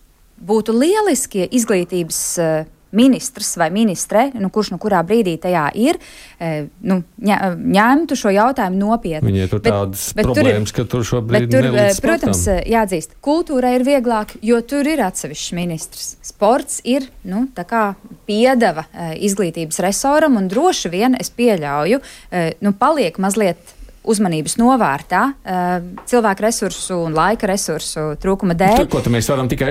Būtu lieliski izglītības uh, ministrs vai ministre, nu, kurš nu kurā brīdī tajā ir, uh, nu, ņa, ņemtu šo jautājumu nopietni.
Viņai tur tādas bet, problēmas, tur ir, ka tur šobrīd
tur,
nelīdz
protams, jāatzīst, kultūrai ir vieglāk, jo tur ir atsevišķs ministrs. Sports ir, nu, tā kā piedeva uh, izglītības resoram, un droši vien es pieļauju, uh, nu, paliek mazliet uzmanības novārtā uh, cilvēku resursu un laika resursu trūkuma dēļ.
Ko tad mēs varam tikai,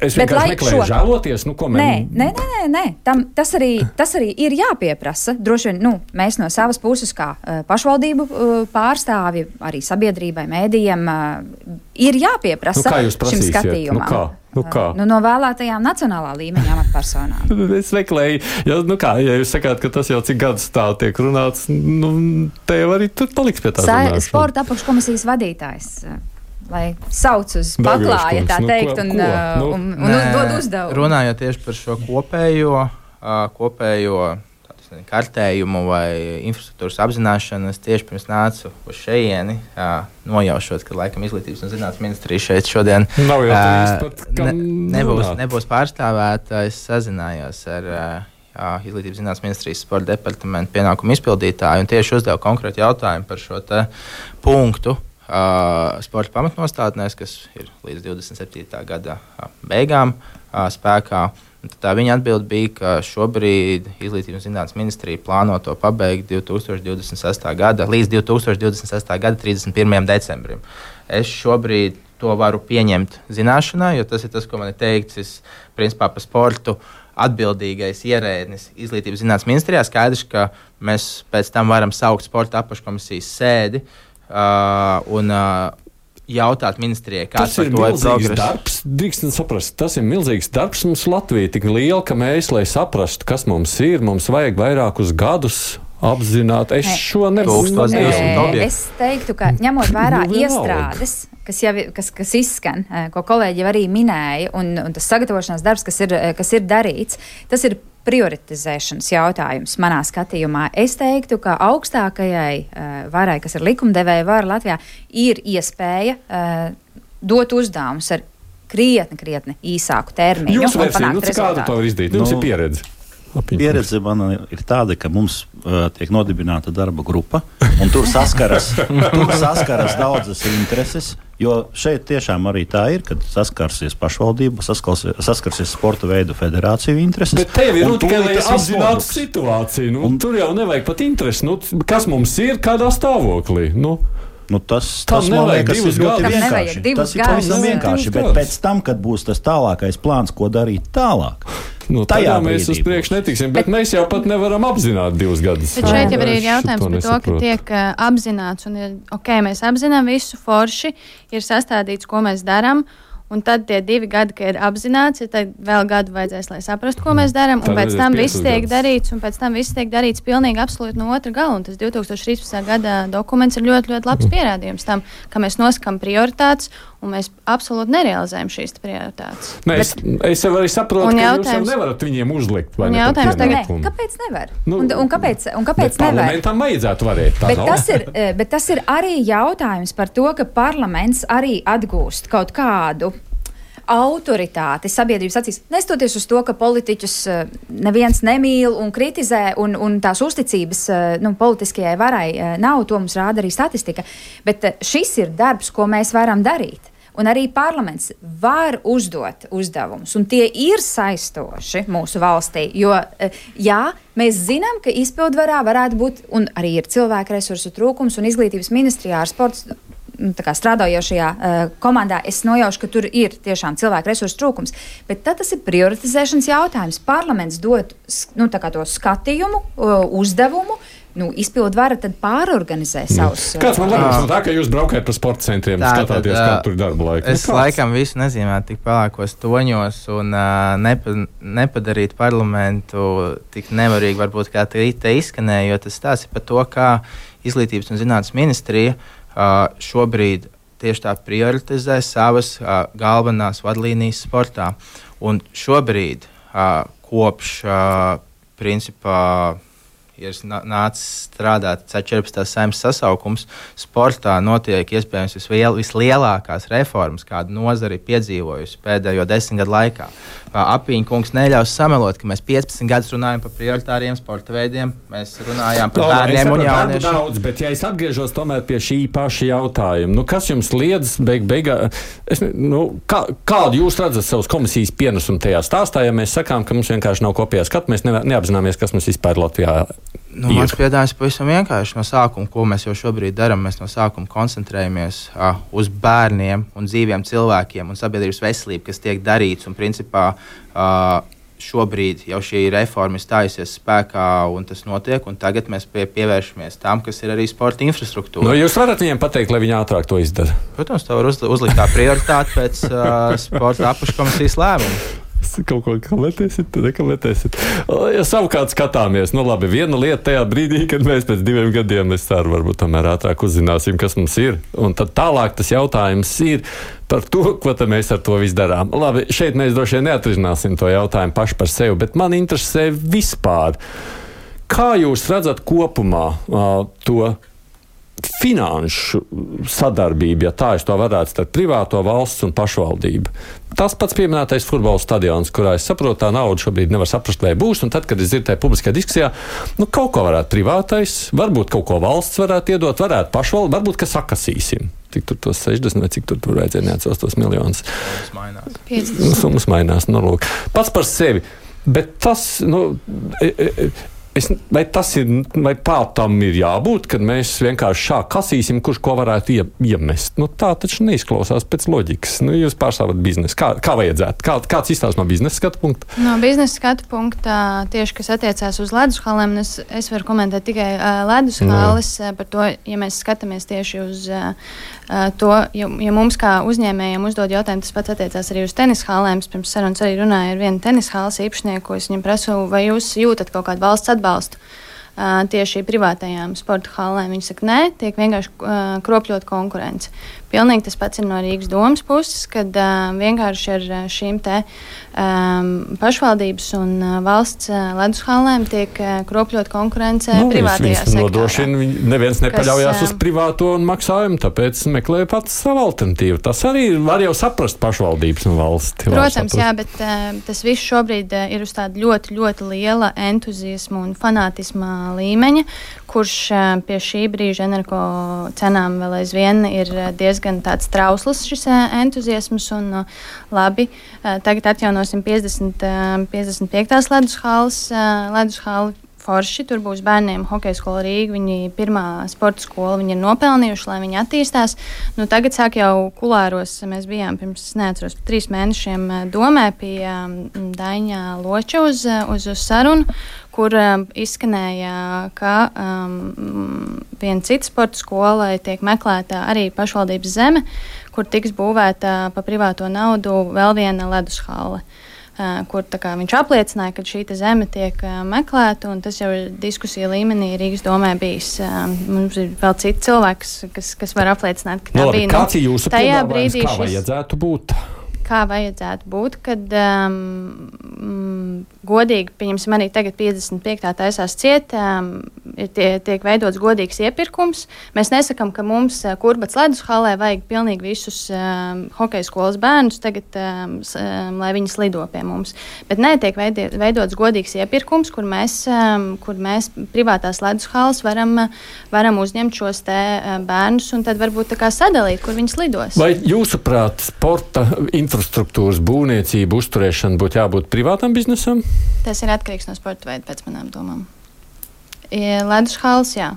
es vienkārši meklēju šo... žēloties? Nu, ko mēs...
Nē, nē, nē, nē. Tam, tas, arī, tas arī ir jāpieprasa. Droši vien, nu, mēs no savas puses kā uh, pašvaldību uh, pārstāvi, arī sabiedrībai, mēdījiem, uh, ir jāpieprasa
nu,
šim skatījumam.
Nu, kā? Nu, kā?
Nu, no vēlētajām nacionālā līmeņa amatpersonām.
Es meklēju, ja, nu kā, ja jūs sakāt, ka tas jau cik gadus tā tiek runāts, nu, te jau arī tur paliks pie tā runāšana.
Sporta apakškomisijas vadītājs, lai sauc uz paklāja, tā teikt,
nu,
un,
nu,
un, un, un dod uzdevumu.
Runājot tieši par šo kopējo, kopējo kartējumu vai infrastruktūras apzināšanu, es tieši pirms nācu uz šejieni, nojaušot, ka laikam izglītības un zinātnes ministrija šeit šodien
nav jau pat, ne,
nebūs, nebūs pārstāvēta. Es sazinājos ar jā, izglītības zinātnes ministrijas sporta departamentu pienākumu izpildītāju un tieši uzdevu konkrētu jautājumu par šo te punktu uh, sporta pamatnostādnēs, kas ir līdz divdesmit septītā gada beigām uh, spēkā. Tā viņa atbilde bija, ka šobrīd Izglītības un zinātnes ministrija plāno to pabeigt divi tūkstoši divdesmit sestā gada, līdz divi tūkstoši divdesmit sestā gada trīsdesmit pirmajam decembrim. Es šobrīd to varu pieņemt zināšanā, jo tas ir tas, ko man ir teikts, es, principā, par sportu atbildīgais ierēdnis Izglītības un zinātnes ministrijā. Skaidrs, ka mēs pēc tam varam saukt sporta apakškomisijas sēdi uh, un uh, jautāt ministrijai, kāds par to ir progress.
Darbs, drīkstam saprast, tas ir milzīgs darbs mums Latvija, tik liela, ka mēs, lai saprastu, kas mums ir, mums vajag vairākus gadus apzināt. Es ne. šo nevaru.
Es teiktu, ka ņemot vērā iestrādes, kas, jau, kas, kas izskan, ko kolēģi jau arī minēja, un, un tas sagatavošanās darbs, kas ir, kas ir darīts, tas ir prioritizēšanas jautājums manā skatījumā. Es teiktu, ka augstākajai uh, varai, kas ir likumdevēja vara Latvijā, ir iespēja uh, dot uzdevumus ar krietni, krietni īsāku termiņu.
Jūs versija, nu, kādu to var izdarīt? Jums nu, ir pieredze. Lapiņ,
pieredze man ir tāda, ka mums uh, tiek nodibināta darba grupa, un tur saskaras, tur saskaras daudzas intereses. Jo šeit tiešām arī tā ir, kad saskarsies pašvaldība, saskarsies, saskarsies sporta veidu federāciju intereses.
Bet tev ir nu, tikai, lai
tas
apzinātu situāciju. Nu,
un,
tur jau nevajag pat interesi. Nu, kas mums ir, kādā stāvoklī? Nu,
Nu, tas
tas
man liekas, ir ļoti
Tam
vienkārši.
nevajag divus
Tas ir
gadus.
pavisam vienkārši,
Divus
bet
gadus.
pēc tam, kad būs tas tālākais plāns, ko darīt tālāk,
nu,
tajā
tajā mēs
brīdī
uz priekšu
būs.
netiksim, bet mēs jau pat nevaram apzināt divus gadus.
Bet šeit jau arī ir
Es
jautājums
to
par to, ka
nesaprotu.
tiek uh, apzināts, un ir, ok, mēs apzinām visu forši, ir sastādīts, ko mēs darām. Un tad tie divi gadi, kad ir apzināts, ir tad vēl gadu vajadzēs, lai saprastu, ko mēs darām. Un
Tad
pēc
vajadzēs
tam
piecus
viss tiek
gadus.
darīts, un pēc tam viss tiek darīts pilnīgi absolūti no otra gala. Un tas divi tūkstoši trīspadsmitā gada dokuments ir ļoti, ļoti labs pierādījums tam, ka mēs nosakām prioritātes, un mēs absolūti nerealizējam šīs prioritātes.
Nē, es, es jau arī saprotu,
Un
ka jūs jau
jautājums-
nevarat viņiem uzlikt. vai
Un
ne, par
jautājums
Nē,
tagad-
pienākumu.
kāpēc nevar?
Nu,
un, un kāpēc, un kāpēc
Bet
nevar?
parlamentam vajadzētu varēt. Tā
Bet
nav?
tas, ir, eh, bet tas ir arī jautājums par to, ka parlaments arī atgūst kaut kādu autoritāti sabiedrības acīs. Nestoties uz to, ka politiķus eh, neviens nemīl un kritizē, un, un tās uzticības eh, nu, politiskajai varai eh, nav, to mums rāda arī statistika. Bet eh, šis ir darbs, ko mēs varam darīt. Un arī parlaments var uzdot uzdevumus, un tie ir saistoši mūsu valstī. Jo, eh, jā, mēs zinām, ka izpildvarā varētu būt, un arī ir cilvēku resursu trūkums, un izglītības ministrijā ar sports nu, tā kā strādājošajā uh, komandā, es nojaušu, ka tur ir tiešām cilvēku resursu trūkums. Bet tad tas ir prioritizēšanas jautājums. Parlaments dod s- nu, tā kā to skatījumu, uh, uzdevumu. Nu, izpildu vara tad pārorganizē savus.
Kāds man
uh,
liekas, no tā, ka jūs braukājat pa sporta centriem,
Tā,
skatāties,
tad,
kā
ā,
tur ir darba laika?
Es
Nu, kāds?
laikam visu nezīmētu tik pelēkos toņos un uh, nepa, nepadarīt parlamentu tik nevarīgi, varbūt kā te, te izskanēja, jo tas stāsta par to, kā Izglītības un zinātnes ministrija uh, šobrīd tieši tā prioritizē savas uh, galvenās vadlīnijas sportā. Un šobrīd uh, kopš uh, principā ir nā- nācis strādāt četrpadsmitā saeimas sasaukums, sportā notiek iespējams visliel, vislielākās reformas, kādu nozari ir piedzīvojusi pēdējo desmit gadu laikā. Apīņa kungs neļaus samelot, ka mēs piecpadsmit gadus runājam par prioritāriem sporta veidiem, mēs runājām par
Labi, es
bērniem un
saprotu, darbu
jauniešiem.
daudz, bet ja es atgriežos tomēr pie šī paša jautājuma, nu, kas jums liedz beig beigā, es, ne- nu, kā, kādu jūs redzat savas komisijas pienesumu tajā stāstā, ja mēs sakām, ka mums vienkārši nav kopējā skatu, mēs ne, neapzināmies, kas mums vispār Latvijā
Nu,
ir.
mans piedāvājums pavisam vienkārši no sākuma, ko mēs jau šobrīd darām. Mēs no sākuma koncentrējamies uh, uz bērniem un dzīviem cilvēkiem un sabiedrības veselību, kas tiek darīts. Un, principā, uh, šobrīd jau šī reforma ir stājusies spēkā un tas notiek. Un tagad mēs pie, pievēršamies tam, kas ir arī sporta infrastruktūra.
Nu, jūs varat viņiem pateikt, lai viņi ātrāk to izdara.
Protams, tā var uz, uzlikt kā prioritāti pēc uh, sporta apakškomisijas lēmuma.
Kaut ko kavēties, nekavēties. Ja savukārt skatāmies, nu labi, viena lieta tajā brīdī, kad mēs pēc diviem gadiem, es ceru, varbūt tomēr ātrāk uzzināsim, kas mums ir. Un tad tālāk tas jautājums ir par to, ko tad mēs ar to visu darām. Labi, šeit mēs droši vien neatrisināsim to jautājumu paši par sevi, bet man interesē vispār, kā jūs redzat kopumā uh, to finanšu sadarbību, ja tā es to varētu starp privāto, valsts un pašvaldību. Tas pats pieminētais futbola stadions, kurā es saprotu, tā nauda šobrīd nevar saprast, vai būs, un tad, kad es dzirdu tajā publiskajā diskusijā, nu kaut ko varētu privātais, varbūt kaut ko valsts varētu iedot, varētu pašvaldība, varbūt, ka sakasīsim. Cik tur tos sešdesmit vai cik tur, tur vajadzēja neatceros tos miljonus.
Tas mainās.
Nu, summas mainās, nu lūk. Pats par sevi, bet tas, nu... E, e, Es, vai tas ir, vai tā tam ir jābūt, kad mēs vienkārši šā kasīsim, kurš ko varētu ie, iemest? Nu, tā taču neizklausās pēc loģikas. Nu, jūs pārstāvat biznesu. Kā, kā vajadzētu? Kā, kāds izstāsta no biznesa skatu punkta?
No biznesa skatu punkta, tieši kas attiecās uz ledus halēm, es, es varu komentēt tikai uh, ledus hales. Uh, par to, ja mēs skatāmies tieši uz uh, to, ja, ja mums kā uzņēmējiem uzdod jautājumu, tas pats attiecās arī uz tenis halēm. Es pirms sarunas arī runāju ar vienu tenis halas īpašnieku, ko es viņam prasu, vai jūs jūtat kaut kādu valsts atbalstu uh, tieši privātajām sporta halēm. Viņi saka, nē, tiek vienkārši uh, kropļot konkurence. Pilnīgi tas pats ir no Rīgas domas puses, kad uh, vienkārši ar šīm te um, pašvaldības un uh, valsts uh, ledus halēm tiek uh, kropļot konkurence
Nu,
privātajā
viņas
sektorā.
nodrošina, viņi- neviens nepaļaujās
Kas,
uz privāto un maksājumu, tāpēc meklē pats savu alternatīvu. Tas arī var jau saprast pašvaldības un valsts.
Protams, jā, bet uh, tas viss šobrīd uh, ir uz tāda ļoti, ļoti liela entuziasma un fanātisma uh, līmeņa, kurš uh, pie šī brīža energo cenām vēl aizvien ir diezgan tāds trausls šis uh, entuziasms. Un, uh, labi, uh, tagad atjaunosim piecdesmit, uh, piecdesmit piektās ledus halles, uh, ledus halli. Forši, tur būs bērniem hokeja skola Rīga, viņi pirmā sporta skola, viņi ir nopelnījuši, lai viņi attīstās. Nu, tagad sāk jau kulāros, mēs bijām pirms, neatceros, trīs mēnešiem domē pie Daņa Loča uz, uz, uz sarunu, kur um, izskanēja, ka um, viena cita sporta skolai tiek meklēta arī pašvaldības zeme, kur tiks būvēta pa privāto naudu vēl viena ledus halle. Uh, kur kā, viņš apliecināja, ka šī zeme tiek uh, meklēta, un tas jau ir diskusija līmenī Rīgas domē bijis. Uh, mums ir vēl citi cilvēki, kas, kas var apliecināt, ka tā no, labi, bija.
Kāds ir jūsu piedāvājums, kā
šis...
vajadzētu būt?
Kā vajadzētu būt, kad um, mm, godīgi, pieņemsim, arī tagad piecdesmit piektā taisās ciet, um, ir tie, tiek veidots godīgs iepirkums. Mēs nesakam, ka mums uh, Kurbats ledus halē vajag pilnīgi visus um, hokeja skolas bērnus tagad, um, um, lai viņi slido pie mums. Bet nē, tiek veidi, veidots godīgs iepirkums, kur mēs, um, kur mēs privātās ledus halas varam, varam uzņemt šos te uh, bērnus un tad varbūt tā kā sadalīt, kur viņi slidos.
Vai jūsuprāt, sporta infrastruktūras būvniecība, uzturēšana būtu jābūt privātam biznesam?
Tas ir atkarīgs no sporta veida, pēc manām domām. Ledus halas, jā.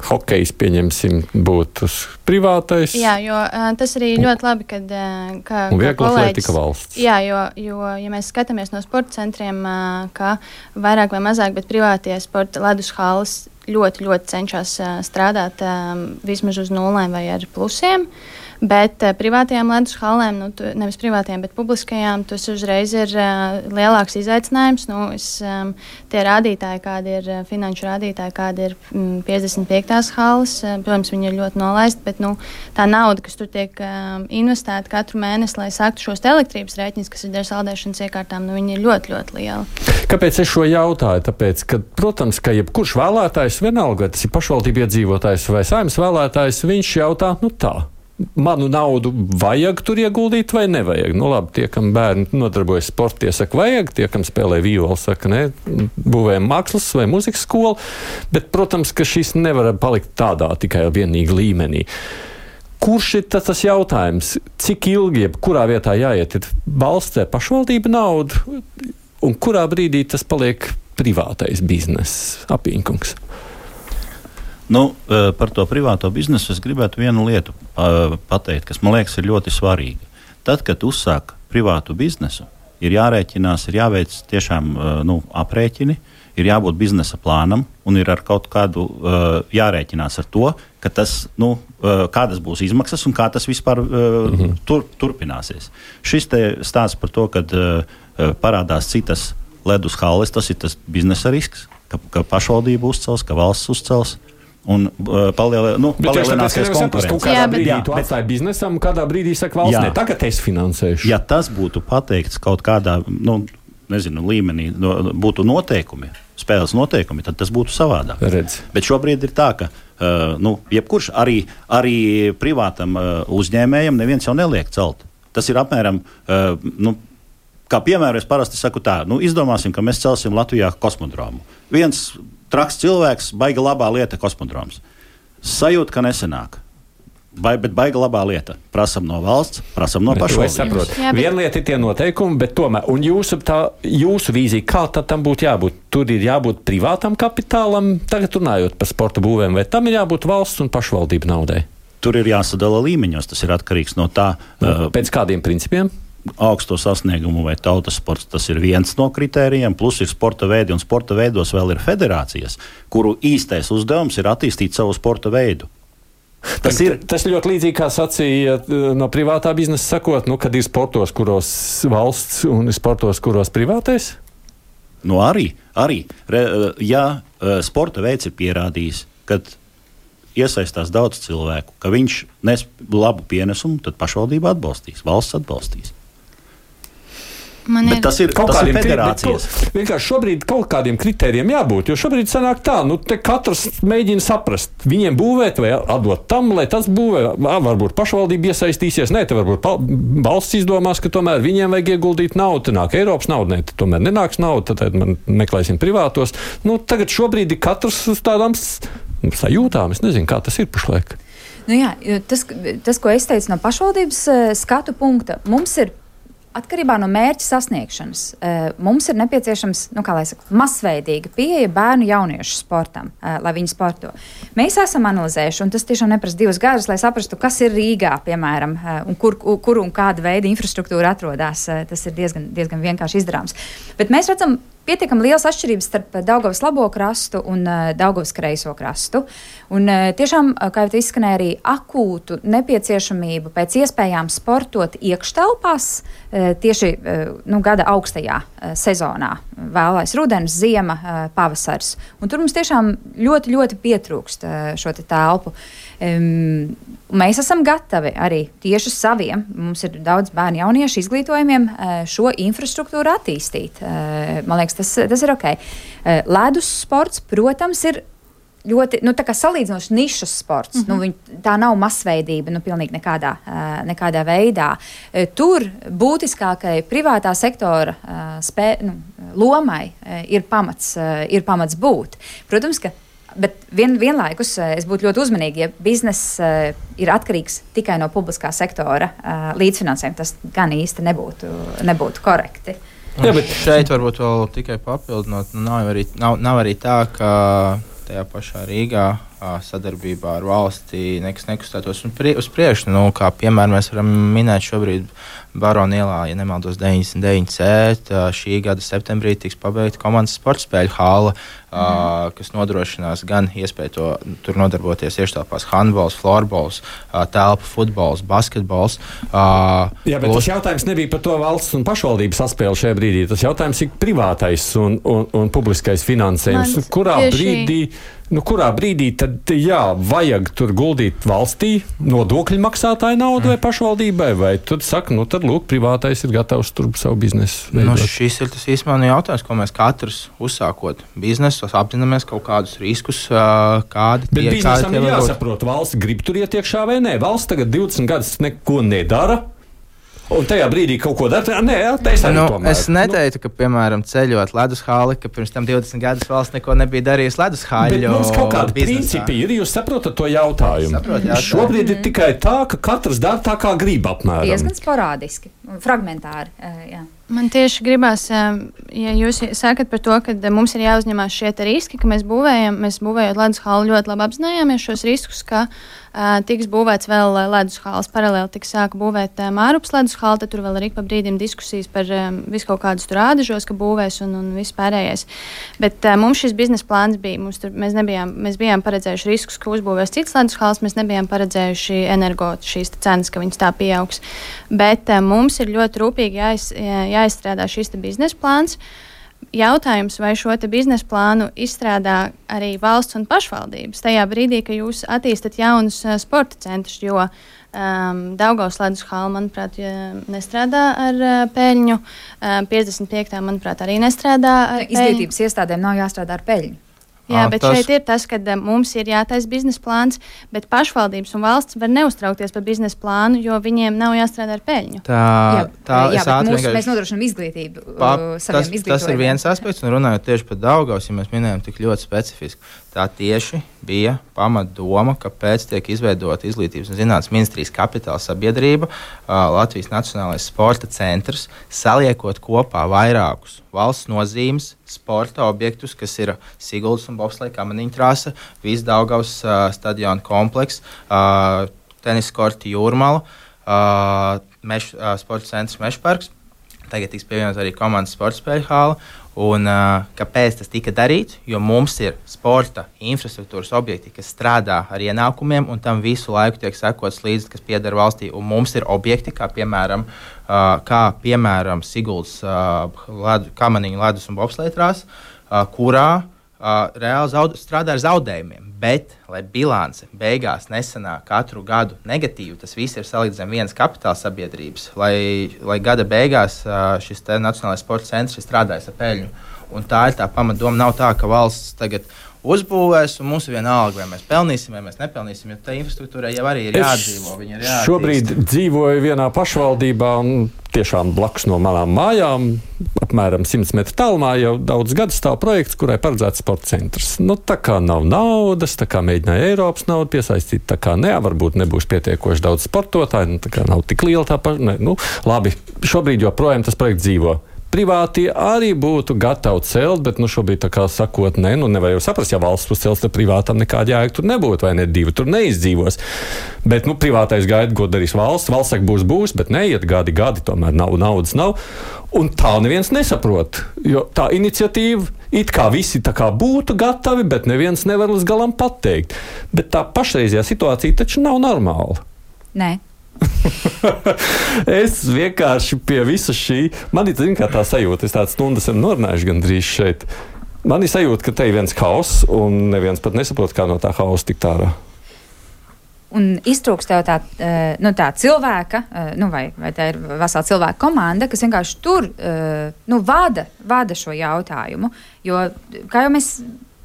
Hokejs, pieņemsim, būtu privātais.
Jā, jo uh, tas arī ļoti labi, kad uh, kā,
un
viegla
atletika valsts.
Jā, jo, jo, ja mēs skatāmies no sporta centriem, uh, ka vairāk vai mazāk, bet privātie sporta ledus halas ļoti, ļoti cenšas uh, strādāt um, vismaz uz nulēm vai ar plusiem. Bet uh, privātajām ledus hallēm, nu, tu, nevis privātajām, bet publiskajām, tas uzreiz ir uh, lielāks izaicinājums. Nu, es, um, tie rādītāji, kādi ir uh, finanšu rādītāji, kādi ir um, piecdesmit piektās halles, uh, protams, viņi ir ļoti nolaisti, bet nu, tā nauda, kas tur tiek um, investēta katru mēnesi, lai sāktu šos elektrības rēķinus, kas ir ar saldēšanas iekārtām, nu, viņi ir ļoti, ļoti lieli.
Kāpēc es šo jautāju? Tāpēc, ka, protams, ka jebkurš vēlētājs, vienalga, tas ir pašvaldību iedzīvotājs vai saimnes vēlētājs, viņš jautā, nu tā. Manu naudu vajag tur ieguldīt vai nevajag? Nu, labi, tie, kam bērni nodarbojas sporta, tie saka, vajag, tie, kam spēlē violi, saka, ne, būvējam mākslas vai muzikas skolu, bet, protams, ka šis nevar palikt tādā tikai vienīgi līmenī. Kurš ir tas, tas jautājums? Cik ilgi, kurā vietā jāiet, ir valsts vai pašvaldība naudu, un kurā brīdī tas paliek privātais bizness? Apīnkungs.
Nu, par to privāto biznesu es gribētu vienu lietu pateikt, kas man liekas ir ļoti svarīga. Tad, kad uzsāk privātu biznesu, ir jārēķinās, ir jāveic tiešām nu, aprēķini, ir jābūt biznesa plānam un ir ar kaut kādu jārēķinās ar to, ka tas, nu, kādas būs izmaksas un kā tas vispār mm-hmm. tur, turpināsies. Šis te stāsts par to, kad parādās citas ledus halles, tas ir tas biznesa risks, ka, ka pašvaldība uzcels, ka valsts uzcels. Un uh, palielē, nu, palielināsies konkurence.
Kādā brīdī jā, tu atstāji biznesam, kādā brīdī saka valsts, ne, tagad es finansēšu.
Ja tas būtu pateikts kaut kādā, nu, nezinu, līmenī, no, būtu noteikumi, spēles noteikumi, tad tas būtu savādāk.
Redz.
Bet šobrīd ir tā, ka, uh, nu, jebkurš arī, arī privātam uh, uzņēmējam neviens jau neliek celt. Tas ir apmēram, uh, nu, kā piemēram, es parasti saku tā, nu, izdomāsim, ka mēs celsim Latvijā kosmodromu. Viens traks cilvēks, baiga labā lieta kosmodroms. Sajūt, ka nesenāk. Vai, bet baiga labā lieta. Prasam no valsts, prasam no pašvaldības.
Viena lieta ir tie noteikumi, bet tomēr, un jūsu, tā, jūsu vīzija, kā tad tam būtu jābūt? Tur ir jābūt privātam kapitālam, tagad runājot par sporta būvēm, vai tam ir jābūt valsts un pašvaldību naudai?
Tur ir jāsadala līmeņos, tas ir atkarīgs no tā.
No, uh, pēc kādiem principiem?
Augsto sasniegumu vai tautas sports, tas ir viens no kritērijiem, plus ir sporta veidi, un sporta veidos vēl ir federācijas, kuru īstais uzdevums ir attīstīt savu sporta veidu. Tas ir,
tas ļoti līdzīgi, kā sacīja no privātā biznesa sakot, nu, kad ir sportos, kuros valsts un sportos, kuros privātais?
Nu arī, arī. Re, ja sporta veids ir pierādījis, kad iesaistās daudz cilvēku, ka viņš nes labu pienesumu, tad pašvaldība atbalstīs, valsts atbalstīs.
Man
Bet
ir
tas ir,
Kaut
tas ir
kādiem kri-
federācijas.
bet kaut- Vienkārši šobrīd kaut kādiem kritērijiem jābūt, jo šobrīd sanāk tā, nu te katrs mēģina saprast, viņiem būvēt vai atdot tam, lai tas būvē, Ā, varbūt pašvaldība iesaistīsies, nē, te varbūt pa- valsts izdomās, ka tomēr viņiem vajag ieguldīt naudu, te nāk Eiropas nauda, nē, te tomēr nenāks nauda, tad man meklēsim privātos. Nu, tagad šobrīd ir katrs uz tādām s- sajūtām, es nezinu, kā tas ir pašlaik.
Nu jā, jo tas, tas, ko es teicu no pašvaldības eh, skatu punkta, mums ir atkarībā no mērķa sasniegšanas. eh, Mums ir nepieciešams, nu, kā lai saka, masveidīga pieeja bērnu jauniešu sportam, eh, lai viņi sporto. Mēs esam analizējuši, un tas tiešām neprasa divus gadus, lai saprastu, kas ir Rīgā, piemēram, eh, un kur, kur un kāda veida infrastruktūra atrodas. Eh, Tas ir diezgan, diezgan vienkārši izdarāms. Bet mēs redzam pietiekami liels atšķirības starp Daugavas labo krastu un uh, Daugavas kreiso krastu. Un uh, tiešām, uh, kā jau te izskanēja, arī akūtu nepieciešamību pēc iespējām sportot iekštelpās uh, tieši uh, nu, gada augstajā uh, sezonā. Vēlais rudens, ziema, uh, pavasars. Un tur mums tiešām ļoti, ļoti pietrūkst uh, šo te telpu. Um, mēs esam gatavi arī tieši saviem, mums ir daudz bērnu jauniešu izglītojumiem, uh, šo infrastruktūru attīstīt. Uh, man liekas, tas, tas ir ok. Uh, ledus sports, protams, ir ļoti, nu, tā kā salīdzinoši nišas sports. Mm-hmm. Nu, viņ, tā nav masveidība, nu, pilnīgi nekādā, uh, nekādā veidā. Uh, tur būtiskākai privātā sektora uh, spē, nu, lomai uh, ir pamats, uh, ir pamats būt. Protams, ka Bet vien, vienlaikus es būtu ļoti uzmanīga, ja bizness uh, ir atkarīgs tikai no publiskā sektora uh, līdzfinansējuma. Tas gan īsti nebūtu, nebūtu korekti.
Jā, bet šeit varbūt vēl tikai papildinot, nu, nav, arī, nav, nav arī tā, ka tajā pašā Rīgā sadarbībā ar valsti nekas nekustētos uz priekšu. Nu, kā piemēram mēs varam minēt šobrīd Barona ielā, ja nemaldos deviņdesmit deviņi C, šī gada septembrī tiks pabeigta komandas sportspēļu hāla, mm. uh, kas nodrošinās gan iespēju to tur nodarboties ieštelpās handbols, florbols, uh, telpu futbols, basketbols. Uh,
Jā, bet plus... tas jautājums nebija par to valsts un pašvaldības saspēli šajā brīdī. Tas jautājums ir privātais un, un, un publiskais finansējums. Man kurā tieši... brīdī Nu, kurā brīdī tad jā, vajag tur guldīt valstī nodokļu maksātāju naudu vai pašvaldībai, vai tad saka, nu tad lūk, privātais ir gatavs tur savu biznesu veidot?
Nu, šis ir tas īstenībā nu jautājums, ko mēs katrs uzsākot biznesu, apzināmies kaut kādus riskus, kādi
Bet
tie,
biznesam
kādi
ir
tie
jāsaprot, valsts grib tur iet iekšā vai nē. Valsts tagad divdesmit gadus neko nedara. Un tajā brīdī kaut ko dara. Nē, es arī
nu,
tomēr.
Es neteiktu, ka, piemēram, ceļot ledus hāli, ka pirms tam divdesmit gadus valsts neko nebija darījusi ledus hāļu.
Bet mums kaut kādi principi ir, jūs saprotat to jautājumu.
Saprot, jautājumu.
Šobrīd ir tikai tā, ka katrs dara tā, kā grib apmēram.
Diezgan sporādiski, fragmentāri, jā.
Man tieši gribās, ja jūs sakat par to, ka mums ir jāuzņemās šie riski, ka mēs būvējam, mēs būvējot ledus hāli ļoti labi apzinājāmies šos riskus, ka uh, tiks būvēts vēl ledus hāls. Paralēli tiks sāka būvēt uh, Mārupas ledus hāli, tad tur vēl ir ik pa brīdim diskusijas par um, visu kaut kādus tur ādažos, ka būvēs un, un viss pārējais. Bet uh, mums šis biznesa plāns bija, mums tur, mēs, nebijām, mēs bijām paredzējuši riskus, ka uzbūvēs cits ledus hāls, mēs nebijām paredzējuši energo šīs cenas, ka viņas tā pieaugs. Bet uh, mums ir ļoti rūpīgi jāiz, jāizstrādā šis biznesa plāns. Jautājums, vai šo biznesa plānu izstrādā arī valsts un pašvaldības tajā brīdī, kad jūs attīstat jaunus uh, sporta centrus, jo um, Daugavas ledus hāla, manuprāt, nestrādā ar uh, peļņu, uh, piecdesmit piekta, manuprāt, arī nestrādā ar peļņu.
Izglītības iestādēm nav jāstrādā ar peļņu.
Jā, bet tas... šeit ir tas, ka mums ir jātaisa biznesa plāns, bet pašvaldības un valsts var neuztraukties par biznesa plānu, jo viņiem nav jāstrādā ar peļņu.
Tā,
jā,
tā
jā, bet mūsu,
vienkārši...
mēs nodrošinām izglītību
pa,
saviem
tas, tas ir viens aspekts, un runājot tieši par Daugavas, ja mēs minējam tik ļoti specifiski, tā tieši bija pamatdoma, kāpēc tiek izveidota Izglītības un zinātnes ministrijas kapitāla sabiedrība, Latvijas Nacionālais sporta centrs, saliekot kopā vairākus valsts nozīmes sporta objektus, kas ir Siguldas un Bobsleja kamaniņu trasa, viss Daugavas uh, stadiona kompleks, uh, tenis korti Jūrmala, uh, meš, uh, sporta centrs Mežparks. Tagad tiks pievienot arī komandas sporta spēļu hāla. Un, uh, kāpēc tas tika darīts? Jo mums ir sporta infrastruktūras objekti, kas strādā ar ienākumiem, un tam visu laiku tiek sekots līdzi, kas pieder valstī. Un mums ir objekti, kā piemēram, uh, kā, piemēram Siguldas uh, ledu, kamaniņu ledus un bobsleja trasa, uh, kurā uh, reāli zaud, strādā ar zaudējumiem. Bet, lai bilance beigās nesanāk katru gadu negatīvi, tas viss ir salikts zem vienas kapitāla sabiedrības, lai, lai gada beigās uh, šis Nacionālais sporta centrs ir strādājis ar peļņu. Un tā ir tā pamatdoma. Nav tā, ka valsts tagad uzbūvēs, un mums ir vienalga, vai mēs pelnīsim, vai mēs nepelnīsim, jo tā infrastruktūrai jau arī ir jādzīvo. Ir jāattīst.
Šobrīd dzīvoju vienā pašvaldībā, un tiešām blakus no manām mājām, apmēram simts metru tālumā, jau daudz gadu stāv projekts, kurai paredzēts sporta centrs. Nu, tā kā nav naudas, tā kā mēģināja Eiropas naudu piesaistīt, tā kā ne, varbūt nebūs pietiekoši daudz sportotāju, nu, tā kā nav tik liela tā paša. Ne, nu, labi, šobrīd joprojām tas projekts dzīvo. Privātie arī būtu gatavi celt, bet nu, šobrīd tā kā sakot, ne, nu nevar jau saprast, ja valsts būs celts, tad privātam nekāda jēga tur nebūtu, vai ne divi tur neizdzīvos. Bet nu, privātais gaida, ko darīs valsts. Valsts saka, būs, būs, bet neiet gadi, gadi, tomēr nav, naudas nav. Un tā neviens nesaprot, jo tā iniciatīva it kā visi tā kā būtu gatavi, bet neviens nevar līdz galam pateikt. Bet tā pašreizajā situācija taču nav normāla.
Nē.
Es vienkārši pie visa šī, man ir zin, kā tā sajūta, es tādas stundas esmu norunājuši gandrīz šeit. Man ir sajūta, ka te ir viens haoss, un neviens pat nesaprot, kā no tā hausa tikt ārā.
Un iztrūkst tev tā, nu, tā cilvēka, nu, vai, vai tā ir vesela cilvēka komanda, kas vienkārši tur nu, vada, vada šo jautājumu. Jo, kā jau mēs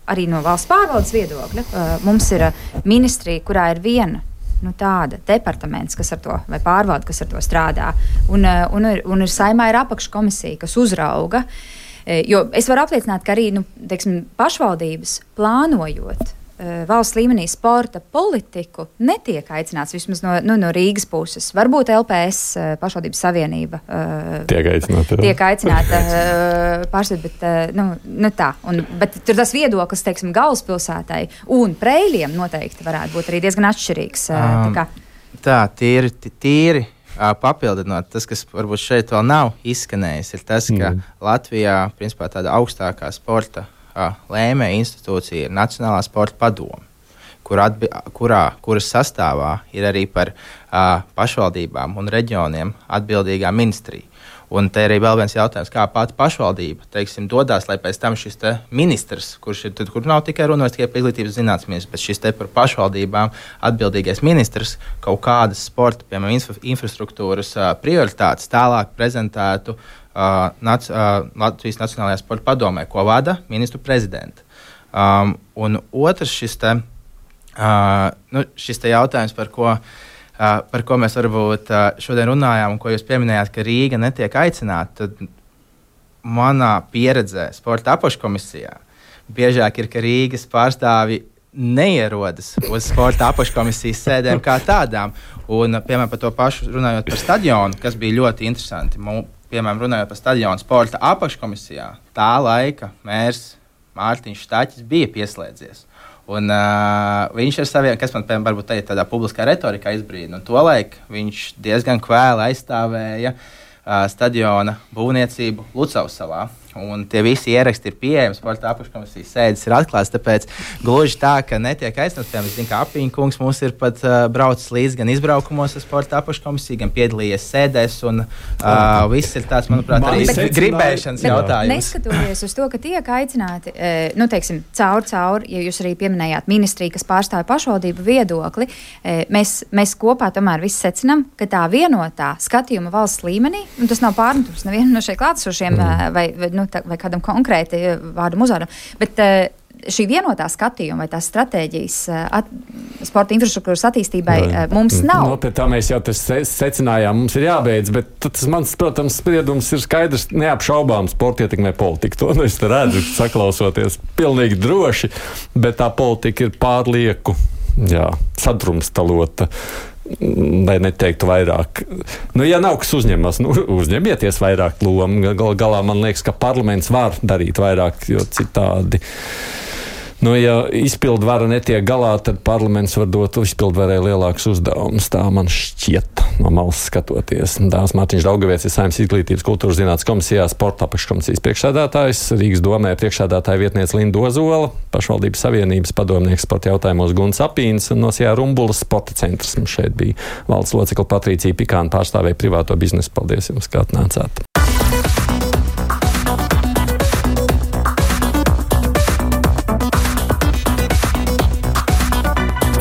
arī no valsts pārvaldes viedokļa, mums ir ministrija, kurā ir viena nu, tāda departaments, kas ar to, vai pārvalde, kas ar to strādā. Un, un, ir, un ir saimā ir apakškomisija, kas uzrauga. Jo es varu apliecināt, ka arī nu, teiksim, pašvaldības plānojot valsts līmenī sporta politiku netiek aicināts vismaz no, nu, no Rīgas puses. Varbūt L P S pašvaldības savienība
tiek aicināta,
tiek aicināta pārstāvēt, bet, nu, nu tā. Un, bet tur tas viedoklis, teiksim, galvaspilsētai un Preiļiem noteikti varētu būt arī diezgan atšķirīgs.
Um,
tā,
tā, tīri, tīri papildinot, tas, kas varbūt šeit vēl nav izskanējis, ir tas, ka mm. Latvijā, principā, tāda augstākā sporta lēmēja institūcija ir Nacionālā sporta padome, kur atbi, kurā, kuras sastāvā ir arī par uh, pašvaldībām un reģioniem atbildīgā ministrija. Un te arī vēl viens jautājums, kā pati pašvaldība, teiksim, dodās, lai pēc tam šis te ministrs, kurš ir, tad, kur nav tikai runājis tikai par izglītības zinātnes ministrs, bet šis te par pašvaldībām atbildīgais ministrs kaut kādas sporta, piemēram, infra, infrastruktūras uh, prioritātes tālāk prezentētu Uh, nac, uh, Latvijas Nacionālajā sporta padomē, ko vada ministru prezidenta. Um, un otrs šis te, uh, nu, šis te jautājums, par ko, uh, par ko mēs varbūt uh, šodien runājām, un ko jūs pieminējāt, ka Rīga netiek aicināta, tad manā pieredzē sporta apakškomisijā biežāk ir, ka Rīgas pārstāvi neierodas uz sporta apakškomisijas sēdēm kā tādām. Un, piemēram, par to pašu runājot par stadionu, kas bija ļoti interesanti. Mums, piemēram, runājot par stadionu sporta apakškomisijā, tā laika mērs Mārtiņš Štaķis bija pieslēdzies. Un uh, viņš ar saviem, kas man, piemēram, varbūt teikt, tādā publiskā retorikā izbrīna, un tolaik viņš diezgan kvēli aizstāvēja uh, stadiona būvniecību Lucavsalā. Un tie visi ieraksti ir pieejami, sporta apakškomisijas sēdes ir atklāts, tāpēc gluži tā, ka netiek aizstāvs. Piemēram, es zinu, ka Apiņa kungs mums ir pat uh, braucis līdz gan izbraukumos ar sporta apakškomisiju, gan piedalījies sēdēs, un uh, viss ir tāds, manuprāt, arī bet, gribēšanas bet, jautājums.
Neskatoties uz to, ka tiek aicināti, e, nu, teiksim, caur, caur, ja jūs arī pieminējāt ministriju, kas pārstāv pašvaldību viedokli, e, mēs, mēs kopā tomēr visi secinām, ka tā vienotā skatījuma valsts līmenī, un tas nav pārmetums nevienam no šeit klātesošiem, mm. vai, vai nu, tā, vai kādam konkrēti vārdam uzvārdam, bet uh, šī vienotā skatījuma vai tās stratēģijas at, sporta infrastruktūras attīstībai uh, mums nav.
No, pie tā mēs jau tas secinājām, mums ir jābeidz, bet tas mans, protams, spriedums ir skaidrs, neapšaubām sporta ietekmē politiku. To es redzu, saklausoties pilnīgi droši, bet tā politika ir pārlieku, jā, sadrumstalota. Lai neteiktu vairāk. Nu, ja nav kas uzņemas, nu, uzņemieties vairāk lomu. Gal, galā man liekas, ka parlaments var darīt vairāk, jo citādi. Nu, ja izpildvara netiek galā, tad parlaments var dot izpildvarai lielākus uzdevumus. Tā man šķiet no malas skatoties. Dāvs Mārtiņš Daugavietis ir Saeimas izglītības kultūras zinātnes komisijā sporta apakškomisijas priekšsēdētājs, Rīgas domē priekšsēdētāja vietniece Linda Ozola, pašvaldības savienības padomnieks sporta jautājumos Gunts Apīns un no Sijā Rumbulas sporta centrs. Mums šeit bija valdes locekle Patricija Pikāna, pārstāvēja privāto biznesu. Paldies jums, kā atnācāt.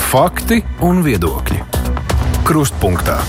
Fakti un viedokļi. Krustpunktā.